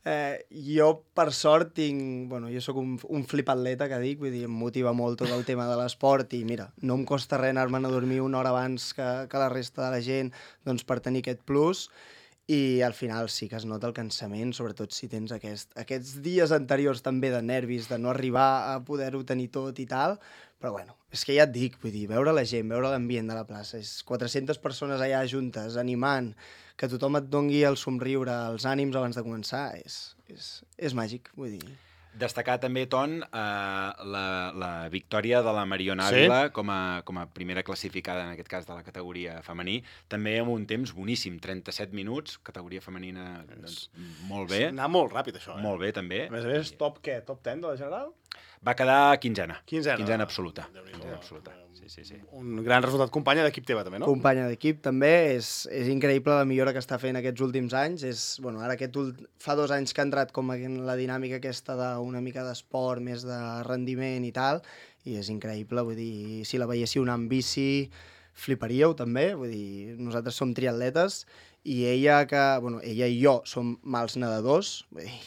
Jo, per sort, jo sóc un flipatleta, que dic, vull dir, em motiva molt tot el tema de l'esport i, mira, no em costa res anar-me'n a dormir una hora abans que la resta de la gent, doncs, per tenir aquest plus, i al final sí que es nota el cansament, sobretot si tens aquests dies anteriors també de nervis, de no arribar a poder-ho tenir tot i tal, però bueno, és que ja et dic, vull dir, veure la gent, veure l'ambient de la plaça, és 400 persones allà juntes, animant, que tothom et dongui el somriure, els ànims abans de començar, és màgic, vull dir. Destacar també, Ton, la victòria de la Mariona Ávila com a primera classificada, en aquest cas de la categoria femení, també amb un temps boníssim, 37 minuts, categoria femenina, doncs, molt bé. Anar molt ràpid, això. Molt bé, també. A més, top 10 de la general? Va quedar quinzena. Quinzena absoluta. Quinzena absoluta. Sí. Un gran resultat. Companya d'equip teva, també, no? Companya d'equip, també. És increïble la millora que està fent aquests últims anys. Ara fa 2 anys que ha entrat com en la dinàmica aquesta d'una mica d'esport, més de rendiment i tal, i és increïble. Vull dir, si la veiéssiu anar amb bici, fliparíeu, també. Vull dir, nosaltres som triatletes i ella i jo som mals nedadors. Vull dir,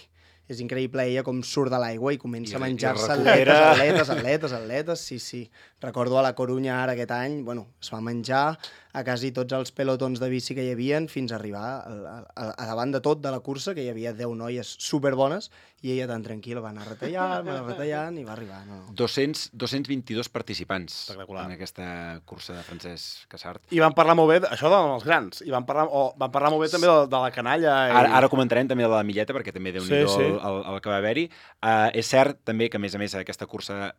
és increïble ella com surt de l'aigua i comença a menjar-se atletes, sí. Recordo a la Corunya ara aquest any, es va menjar a quasi tots els pelotons de bici que hi havia fins a arribar a davant de tot de la cursa, que hi havia 10 noies superbones, i ella tan tranquil·la va anar retallant i va arribar. No. 222 participants en aquesta cursa de Francesc Casart. I van parlar molt bé, això dels grans, i van parlar molt bé també de la canalla. Ara comentarem també de la Milleta, perquè també Déu-n'hi-do el que va haver-hi. És cert també que, a més, aquesta cursa,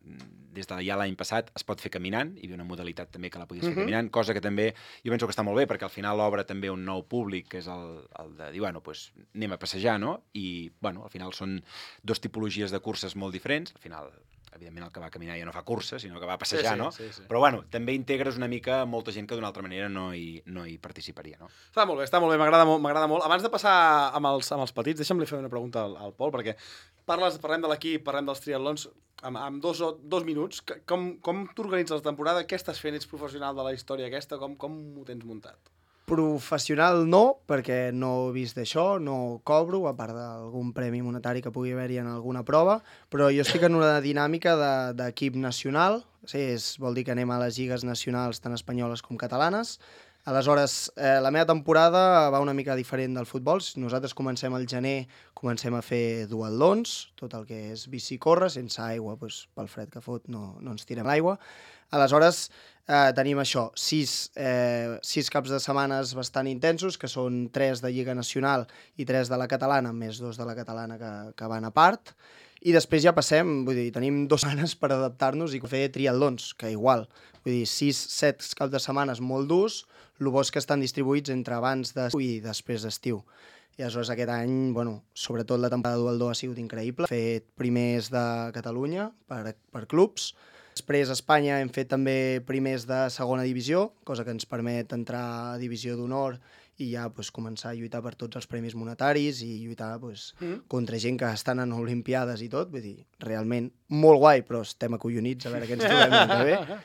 des de ja l'any passat, es pot fer caminant, hi havia una modalitat també que la podies fer caminant, cosa que també jo penso que està molt bé, perquè al final obre també un nou públic, que és el de dir, anem a passejar, no? I, al final són 2 tipologies de curses molt diferents. Al final, evidentment, el que va caminar ja no fa cursa, sinó que va passejar, no? Sí. Però, també integres una mica molta gent que d'una altra manera no hi participaria, no? Està molt bé, m'agrada molt. Abans de passar amb els petits, deixa'm fer una pregunta al Pol, perquè parlem de l'equip, parlem dels triatlons, amb 2 minuts. Com t'organitzes la temporada? Què estàs fent? Ets professional de la història aquesta? Com ho tens muntat? Professional no, perquè no he vist d'això, no cobro, a part d'algun premi monetari que pugui haver-hi en alguna prova, però jo estic en una dinàmica d'equip nacional, vol dir que anem a les lligues nacionals tant espanyoles com catalanes. Aleshores, la meva temporada va una mica diferent del futbol. Nosaltres comencem al gener, comencem a fer duatlons, tot el que és bici i córrer, sense aigua, doncs, pel fred que fot no ens tirem l'aigua. Aleshores, tenim això, 6 caps de setmanes bastant intensos, que són 3 de Lliga Nacional i 3 de la catalana, més 2 de la catalana que van a part. I després ja passem, vull dir, tenim 2 setmanes per adaptar-nos i fer triatlons, que igual, vull dir, 6-7 caps de setmanes molt durs, el bo és que estan distribuïts entre abans d'estiu i després d'estiu. I aleshores aquest any, sobretot la temporada duatló ha sigut increïble. Hem fet primers de Catalunya per clubs. Després a Espanya hem fet també primers de segona divisió, cosa que ens permet entrar a divisió d'honor i ja començar a lluitar per tots els premis monetaris i lluitar contra gent que estan en Olimpiades i tot. Vull dir, realment molt guai, però estem acollonits a veure què ens trobem l'any que ve.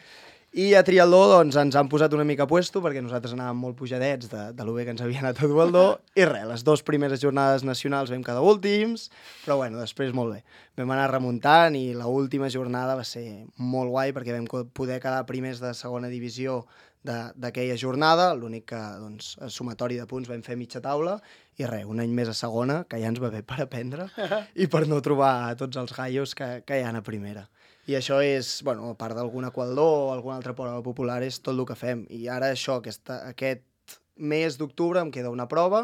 I a triatló doncs, ens han posat una mica a puesto perquè nosaltres anàvem molt pujadets de lo bé que ens havia anat a duatló i res, les 2 primeres jornades nacionals vam quedar últims, però després molt bé. Vam anar remuntant i l'última jornada va ser molt guai perquè vam poder quedar primers de segona divisió d'aquella jornada, l'únic que a sumatori de punts vam fer mitja taula i res, un any més a segona, que ja ens va bé per aprendre i per no trobar tots els gallos que hi ha a primera. I això és, a part d'algun aqualdó o alguna altra prova popular, és tot el que fem. I ara això, aquest mes d'octubre em queda una prova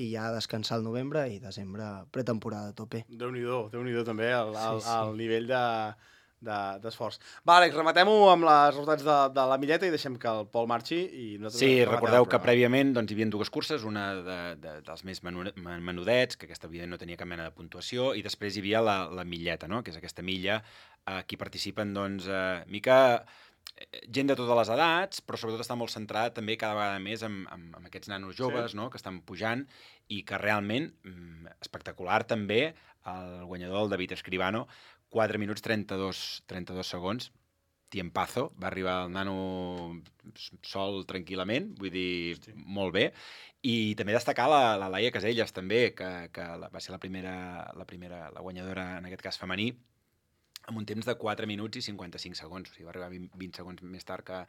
i ja descansar al novembre i desembre pretemporada a tope. Déu-n'hi-do també el nivell d'esforç. Va, Àlex, rematem-ho amb els resultats de la milleta i deixem que el Pol marxi. Sí, recordeu que prèviament hi havia 2 curses, una dels més menudets, que aquesta no tenia cap mena de puntuació, i després hi havia la milleta, que és aquesta milla aquí participen mica gent de totes les edats, però sobretot està molt centrada també cada vegada més amb aquests nanos joves que estan pujant i que realment, espectacular també, el guanyador, el David Escribano, 4 minuts 32 segons, tiempazo, va arribar el nano sol tranquil·lament, vull dir, molt bé. I també destacar la Laia Casellas, també, que va ser la guanyadora, en aquest cas femení, amb un temps de 4 minuts i 55 segons. O sigui, va arribar 20 segons més tard que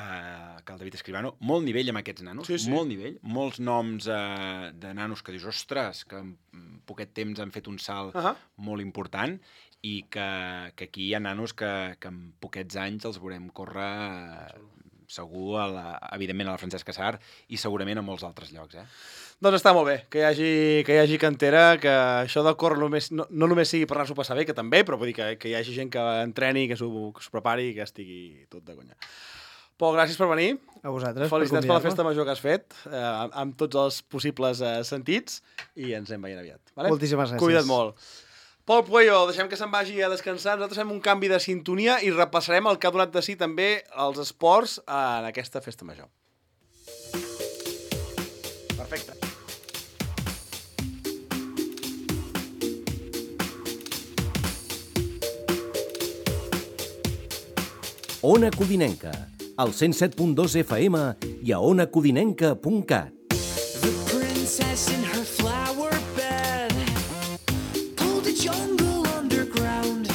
el David Escribano. Molt nivell amb aquests nanos, molt nivell. Molts noms de nanos que dius, ostres, que en poquet temps han fet un salt molt important i que aquí hi ha nanos que en poquets anys els veurem córrer segur, evidentment, a la Francesca Sarr i segurament a molts altres llocs. Doncs està molt bé que hi hagi cantera, que això del córrer no només sigui per anar-s'ho passar bé, que també, però vull dir que hi hagi gent que entreni, que s'ho prepari i que estigui tot de conya. Pol, gràcies per venir. A vosaltres. Felicitats per la festa major que has fet, amb tots els possibles sentits, i ens anem veient aviat. Vale? Moltíssimes gràcies. Cuida't molt. Pol Pueyo, deixem que se'n vagi a descansar. Nosaltres fem un canvi de sintonia i repassarem el que ha donat de si també els esports en aquesta festa major. Perfecte. Ona Codinenca, al 107.2 FM i a onacodinenca.cat. The princess in her flower bed pulled a jungle underground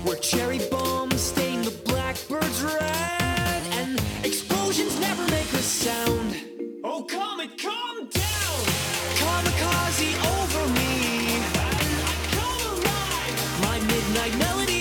where cherry bombs stain the blackbirds red and explosions never make a sound. Oh, comet, calm down! Kamikaze over me. I come alive! My midnight melody.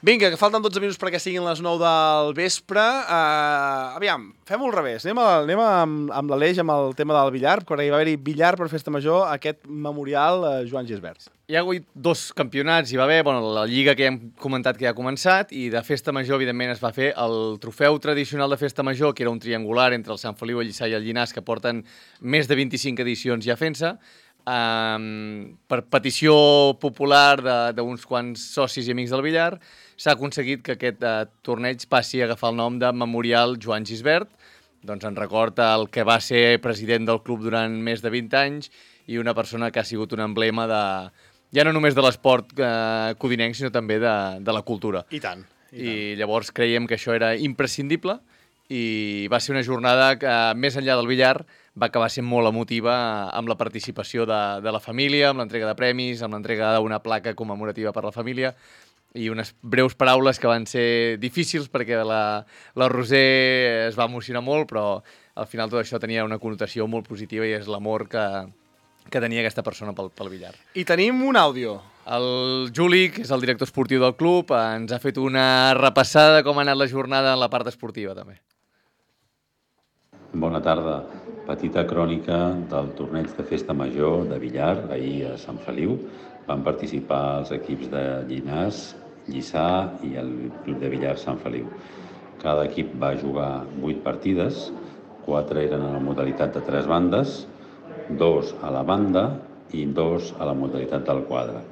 Vinga, que falten 12 minuts perquè siguin les 9 del vespre. Aviam, fem-ho al revés. Anem amb l'Aleix, amb el tema del billar, perquè hi va haver-hi billar per Festa Major, aquest memorial Joan Gisbert. Hi ha hagut 2 campionats, hi va haver la Lliga que ja hem comentat que ja ha començat, i de Festa Major, evidentment, es va fer el trofeu tradicional de Festa Major, que era un triangular entre el Sant Feliu, el Lliçà i el Llinàs, que porten més de 25 edicions ja fent-se. per petició popular d'uns quants socis i amics del billar, s'ha aconseguit que aquest torneig passi a agafar el nom de Memorial Joan Gisbert, doncs en record el que va ser president del club durant més de 20 anys i una persona que ha sigut un emblema ja no només de l'esport codinenc, sinó també de la cultura. I tant. I llavors creiem que això era imprescindible i va ser una jornada que, més enllà del billar, va acabar sent molt emotiva amb la participació de la família, amb l'entrega de premis, amb l'entrega d'una placa commemorativa per la família i unes breus paraules que van ser difícils perquè la Roser es va emocionar molt, però al final tot això tenia una connotació molt positiva i és l'amor que tenia aquesta persona pel billar. I tenim un àudio. El Juli, que és el director esportiu del club, ens ha fet una repassada de com ha anat la jornada en la part esportiva, també. Bona tarda. Petita crònica del torneig de festa major de billar, ahir a Sant Feliu. Van participar els equips de Llinars, Lliçà i el Club de Billar Sant Feliu. Cada equip va jugar 8 partides, 4 eren en la modalitat de 3 bandes, 2 a la banda i 2 a la modalitat del quadre.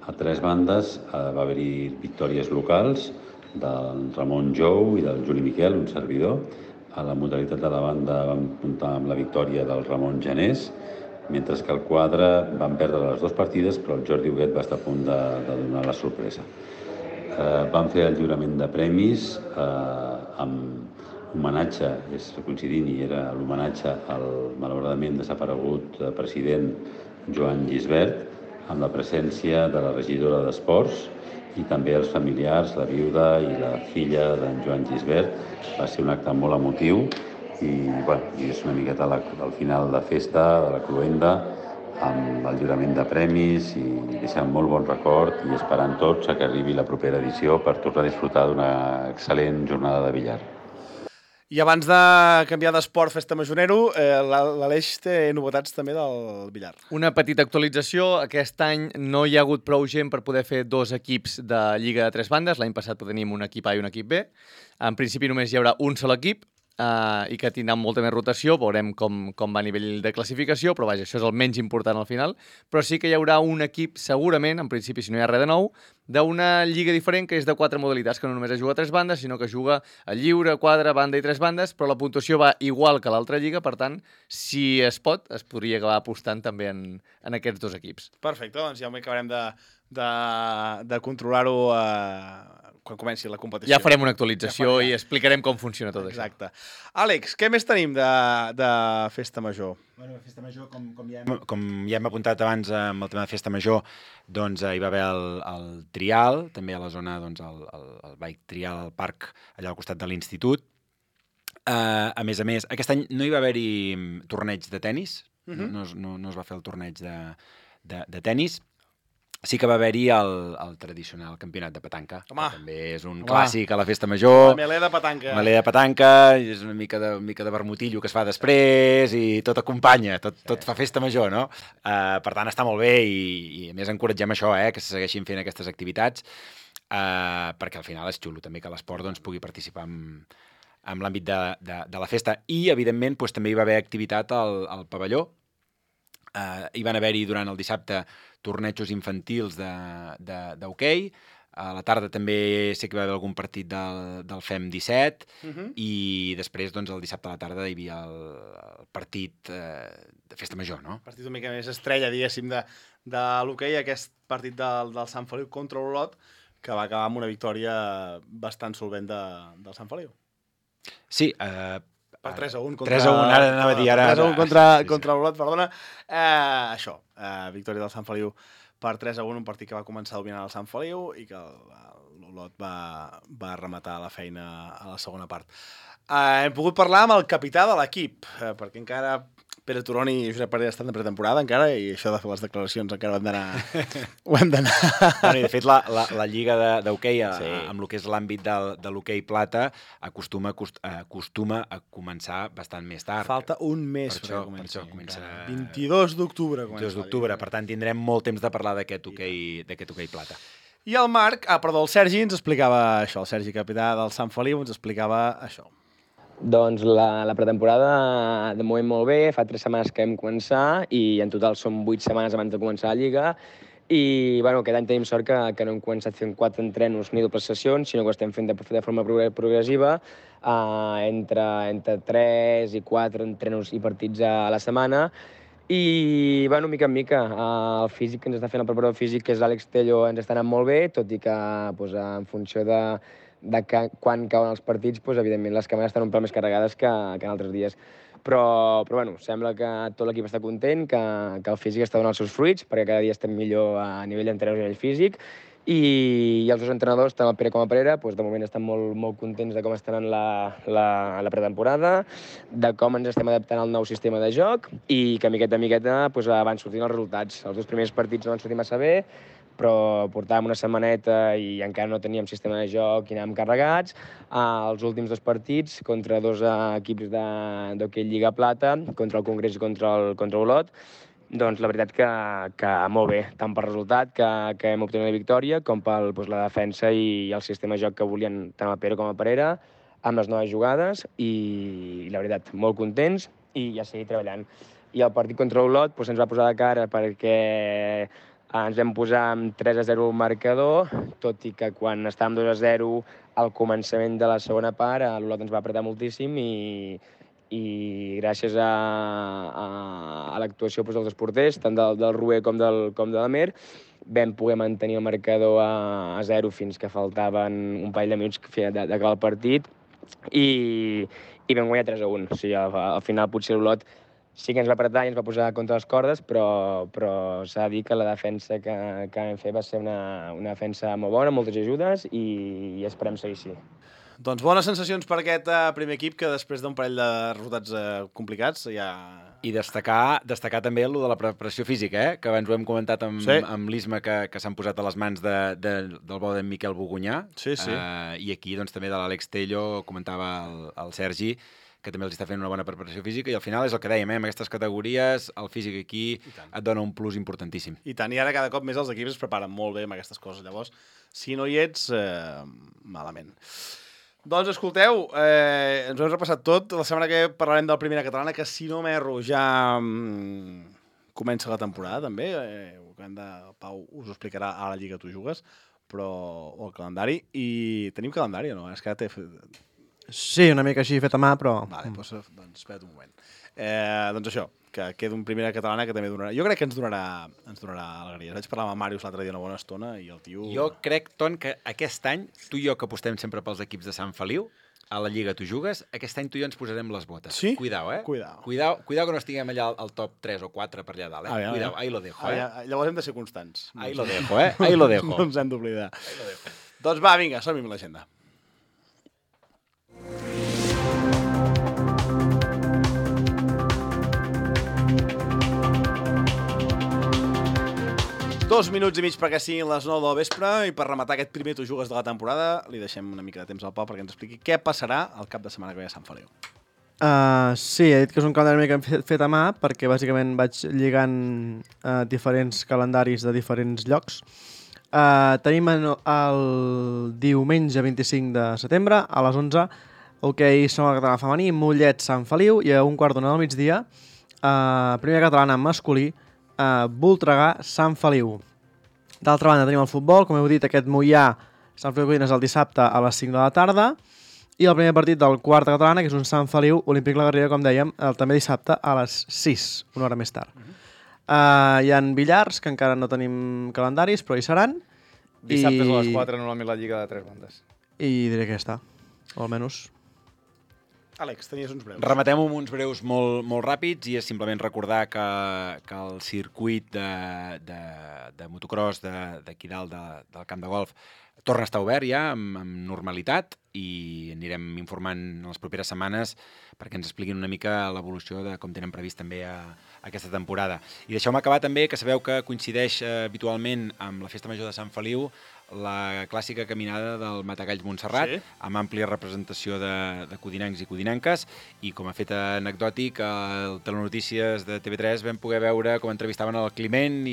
A 3 bandes va haver-hi victòries locals del Ramon Jou i del Juli Miquel, un servidor. A la modalitat de la banda vam comptar amb la victòria del Ramon Janés, mentre que al quadre van perdre les 2 partides, però el Jordi Huguet va estar a punt de donar la sorpresa. Vam fer el lliurament de premis amb homenatge, és coincidint, i era l'homenatge al malauradament desaparegut president Joan Gisbert, amb la presència de la regidora d'Esports i també els familiars, la viuda i la filla d'en Joan Gisbert. Va ser un acte molt emotiu i és una miqueta al final de festa, de la cloenda, amb el lliurament de premis i deixant molt bon record i esperant tots que arribi la propera edició per tornar a disfrutar d'una excel·lent jornada de billar. I abans de canviar d'esport festa majorero, l'Aleix té novetats també del billar. Una petita actualització. Aquest any no hi ha hagut prou gent per poder fer 2 equips de Lliga de 3 bandes. L'any passat tenim un equip A i un equip B. En principi només hi haurà un sol equip i que tindrà molta més rotació. Veurem com va a nivell de classificació, però vaja, això és el menys important al final. Però sí que hi haurà un equip, segurament, en principi, si no hi ha res de nou, d'una lliga diferent que és de 4 modalitats, que no només es juga a 3 bandes, sinó que juga a lliure, quadre, banda i 3 bandes, però la puntuació va igual que l'altra lliga, per tant, si es pot, es podria acabar apostant també en aquests 2 equips. Perfecte, doncs ja acabarem de controlar-ho quan comenci la competició. Ja farem una actualització i explicarem com funciona tot això. Exacte. Àlex, què més tenim de Festa Major? Bueno, Festa Major, com ja hem apuntat abans amb el tema de Festa Major, doncs hi va haver el trial, també a la zona, doncs el bike trial al parc, allà al costat de l'institut. A més, aquest any no hi va haver-hi torneig de tennis, no es va fer el torneig de tennis. Sí que va haver-hi el tradicional campionat de petanca, que també és un clàssic a la Festa Major. La melé de petanca. Melé de petanca, és una mica de vermutillo que es fa després i tot acompanya, tot fa Festa Major, no? Per tant, està molt bé i a més encoratgem això, que se segueixin fent aquestes activitats, perquè al final és xulo també que l'esport pugui participar en l'àmbit de la festa. I, evidentment, també hi va haver activitat al pavelló. Hi van haver-hi durant el dissabte tornejos infantils d'hoquei. A la tarda també sé que hi va haver algun partit del FEM 17 i després, el dissabte a la tarda hi havia el partit de Festa Major, no? El partit una mica més estrella, diguéssim, de l'hoquei, aquest partit del Sant Feliu contra l'Olot, que va acabar amb una victòria bastant solvent del Sant Feliu. Sí, per 3-1 contra... 3-1, ara anava a dir, ara... 3-1 contra l'Olot, perdona. Això, victòria del Sant Feliu per 3-1, un partit que va començar dominant el Sant Feliu i que l'Olot va rematar la feina a la segona part. Hem pogut parlar amb el capità de l'equip, perquè encara Pere Turón i Josep Parera estan de pretemporada encara i això de fer les declaracions encara ho hem d'anar... Bueno, de fet, la lliga d'hoquei, amb el que és l'àmbit de l'hoquei plata, acostuma a començar bastant més tard. Falta un mes per això comença 22 d'octubre. 22 d'octubre, per tant tindrem molt temps de parlar d'aquest hoquei plata. I el Sergi ens explicava això, el Sergi, capità del Sant Feliu, ens explicava això. Doncs la pretemporada de moment molt bé, fa 3 setmanes que vam començar i en total són 8 setmanes abans de començar la Lliga i bueno, aquest any tenim sort que no hem començat fent 4 entrenos ni dobles sessions, sinó que ho estem fent de forma progressiva, entre 3 i 4 entrenos i partits a la setmana i, bueno, mica en mica, el físic que ens està fent el preparador físic, que és l'Àlex Tello, ens està anant molt bé, tot i que doncs, en funció de quan cauen els partits, doncs, evidentment les càmeres estan un pèl més carregades que en altres dies. Però bueno, sembla que tot l'equip està content, que el físic està donant els seus fruits, perquè cada dia estem millor a nivell d'entrenador i a nivell físic, i els dos entrenadors, tant el Pere com el Pereira, doncs de moment estan molt contents de com estan en la pretemporada, de com ens estem adaptant al nou sistema de joc i que miqueta en miqueta doncs, van sortint els resultats. Els 2 primers partits no van sortir massa bé, però portàvem una setmaneta i encara no teníem sistema de joc i anàvem carregats. Els últims 2 partits contra 2 equips d'hoquei Lliga Plata, contra el Congrés i contra Olot, doncs la veritat que molt bé, tant pel resultat que hem obtingut la victòria com per la defensa i el sistema de joc que volien tant el Pere com el Pereira, amb les noves jugades i la veritat, molt contents i ja seguir treballant. I el partit contra Olot ens va posar de cara perquè ens vam posar amb 3-0 al marcador, tot i que quan estàvem 2-0 al començament de la segona part, l'Olot ens va apretar moltíssim i gràcies a l'actuació dels dos porters, tant del Rué com de l'Amer, vam poder mantenir el marcador a 0 fins que faltaven un parell de minuts d'acabar el partit i vam guanyar 3-1. O sigui, al final potser l'Olot sí que ens va apretar i ens va posar contra les cordes, però s'ha de dir que la defensa que vam fer va ser una defensa molt bona, moltes ajudes i esperem seguir així. Doncs bones sensacions per aquest primer equip que després d'un parell de resultats complicats ja... I destacar també el de la preparació física, que abans ho hem comentat amb l'Isma, que s'han posat a les mans del bo d'en Miquel Bogunyà. Sí. I aquí doncs, també de l'Àlex Tello, comentava el Sergi, que també els està fent una bona preparació física, i al final és el que dèiem, en aquestes categories el físic aquí et dona un plus importantíssim. I tant, i ara cada cop més els equips es preparen molt bé amb aquestes coses, llavors, si no hi ets, malament. Doncs escolteu, ens ho hem repassat tot, la setmana que parlarem del Primera Catalana, que si no m'erro ja comença la temporada també, Pau us ho explicarà a la Lliga Tu Jugues, o el calendari, i tenim calendari o no? És que té... Sí, una mica així fet a mà, però... Vale, doncs espera't un moment. Doncs això, que queda un Primera Catalana que també donarà... Jo crec que ens donarà alegria. Vaig parlar amb el Màrius l'altre dia una bona estona i el tio... Jo crec, Ton, que aquest any, tu i jo que apostem sempre pels equips de Sant Feliu, a la Lliga Tu Jugues, aquest any tu i jo ens posarem les botes. Sí? Cuidao, Cuidao que no estiguem allà al top 3 o 4 per allà dalt, Cuidao, ahí lo dejo, Llavors hem de ser constants. Ahí lo dejo, ahí lo dejo. No ens hem d'oblidar. Doncs va, vinga, som-hi amb l'agenda. Dos minuts i mig perquè siguin les 9 del vespre i per rematar aquest primer Tu Jugues de la temporada li deixem una mica de temps al Pau perquè ens expliqui què passarà el cap de setmana que ve a Sant Feliu. Sí, he dit que és un calendari una mica fet a mà perquè bàsicament vaig lligant diferents calendaris de diferents llocs. Tenim el diumenge 25 de setembre a les 11 hoquei Segona Catalana femení, Mollet, Sant Feliu, i a 1:15 del migdia Primera Catalana masculí, Voltregà, Sant Feliu. D'altra banda tenim el futbol, com heu dit, aquest Moià Sant Feliu Codines el dissabte a les 5 de la tarda, i el primer partit del Quarta Catalana, que és un Sant Feliu Olímpic La Garriga, com dèiem, també dissabte a les 6, una hora més tard. Hi ha billars, que encara no tenim calendaris, però hi seran. Dissabtes a les 4, normalment la Lliga de 3 bandes. I diré que ja està, o almenys... Àlex, tenies uns breus. Rematem amb uns breus molt ràpids i és simplement recordar que el circuit de motocross d'aquí dalt del camp de golf torna a estar obert ja amb normalitat i anirem informant en les properes setmanes perquè ens expliquin una mica l'evolució de com tenen previst també aquesta temporada. I deixeu-me acabar també que sabeu que coincideix habitualment amb la Festa Major de Sant Feliu la clàssica caminada del Matagalls Montserrat, amb àmplia representació de codinencs i codinenques, i com a fet anecdòtic, al Telenotícies de TV3 vam poder veure com entrevistaven el Climent i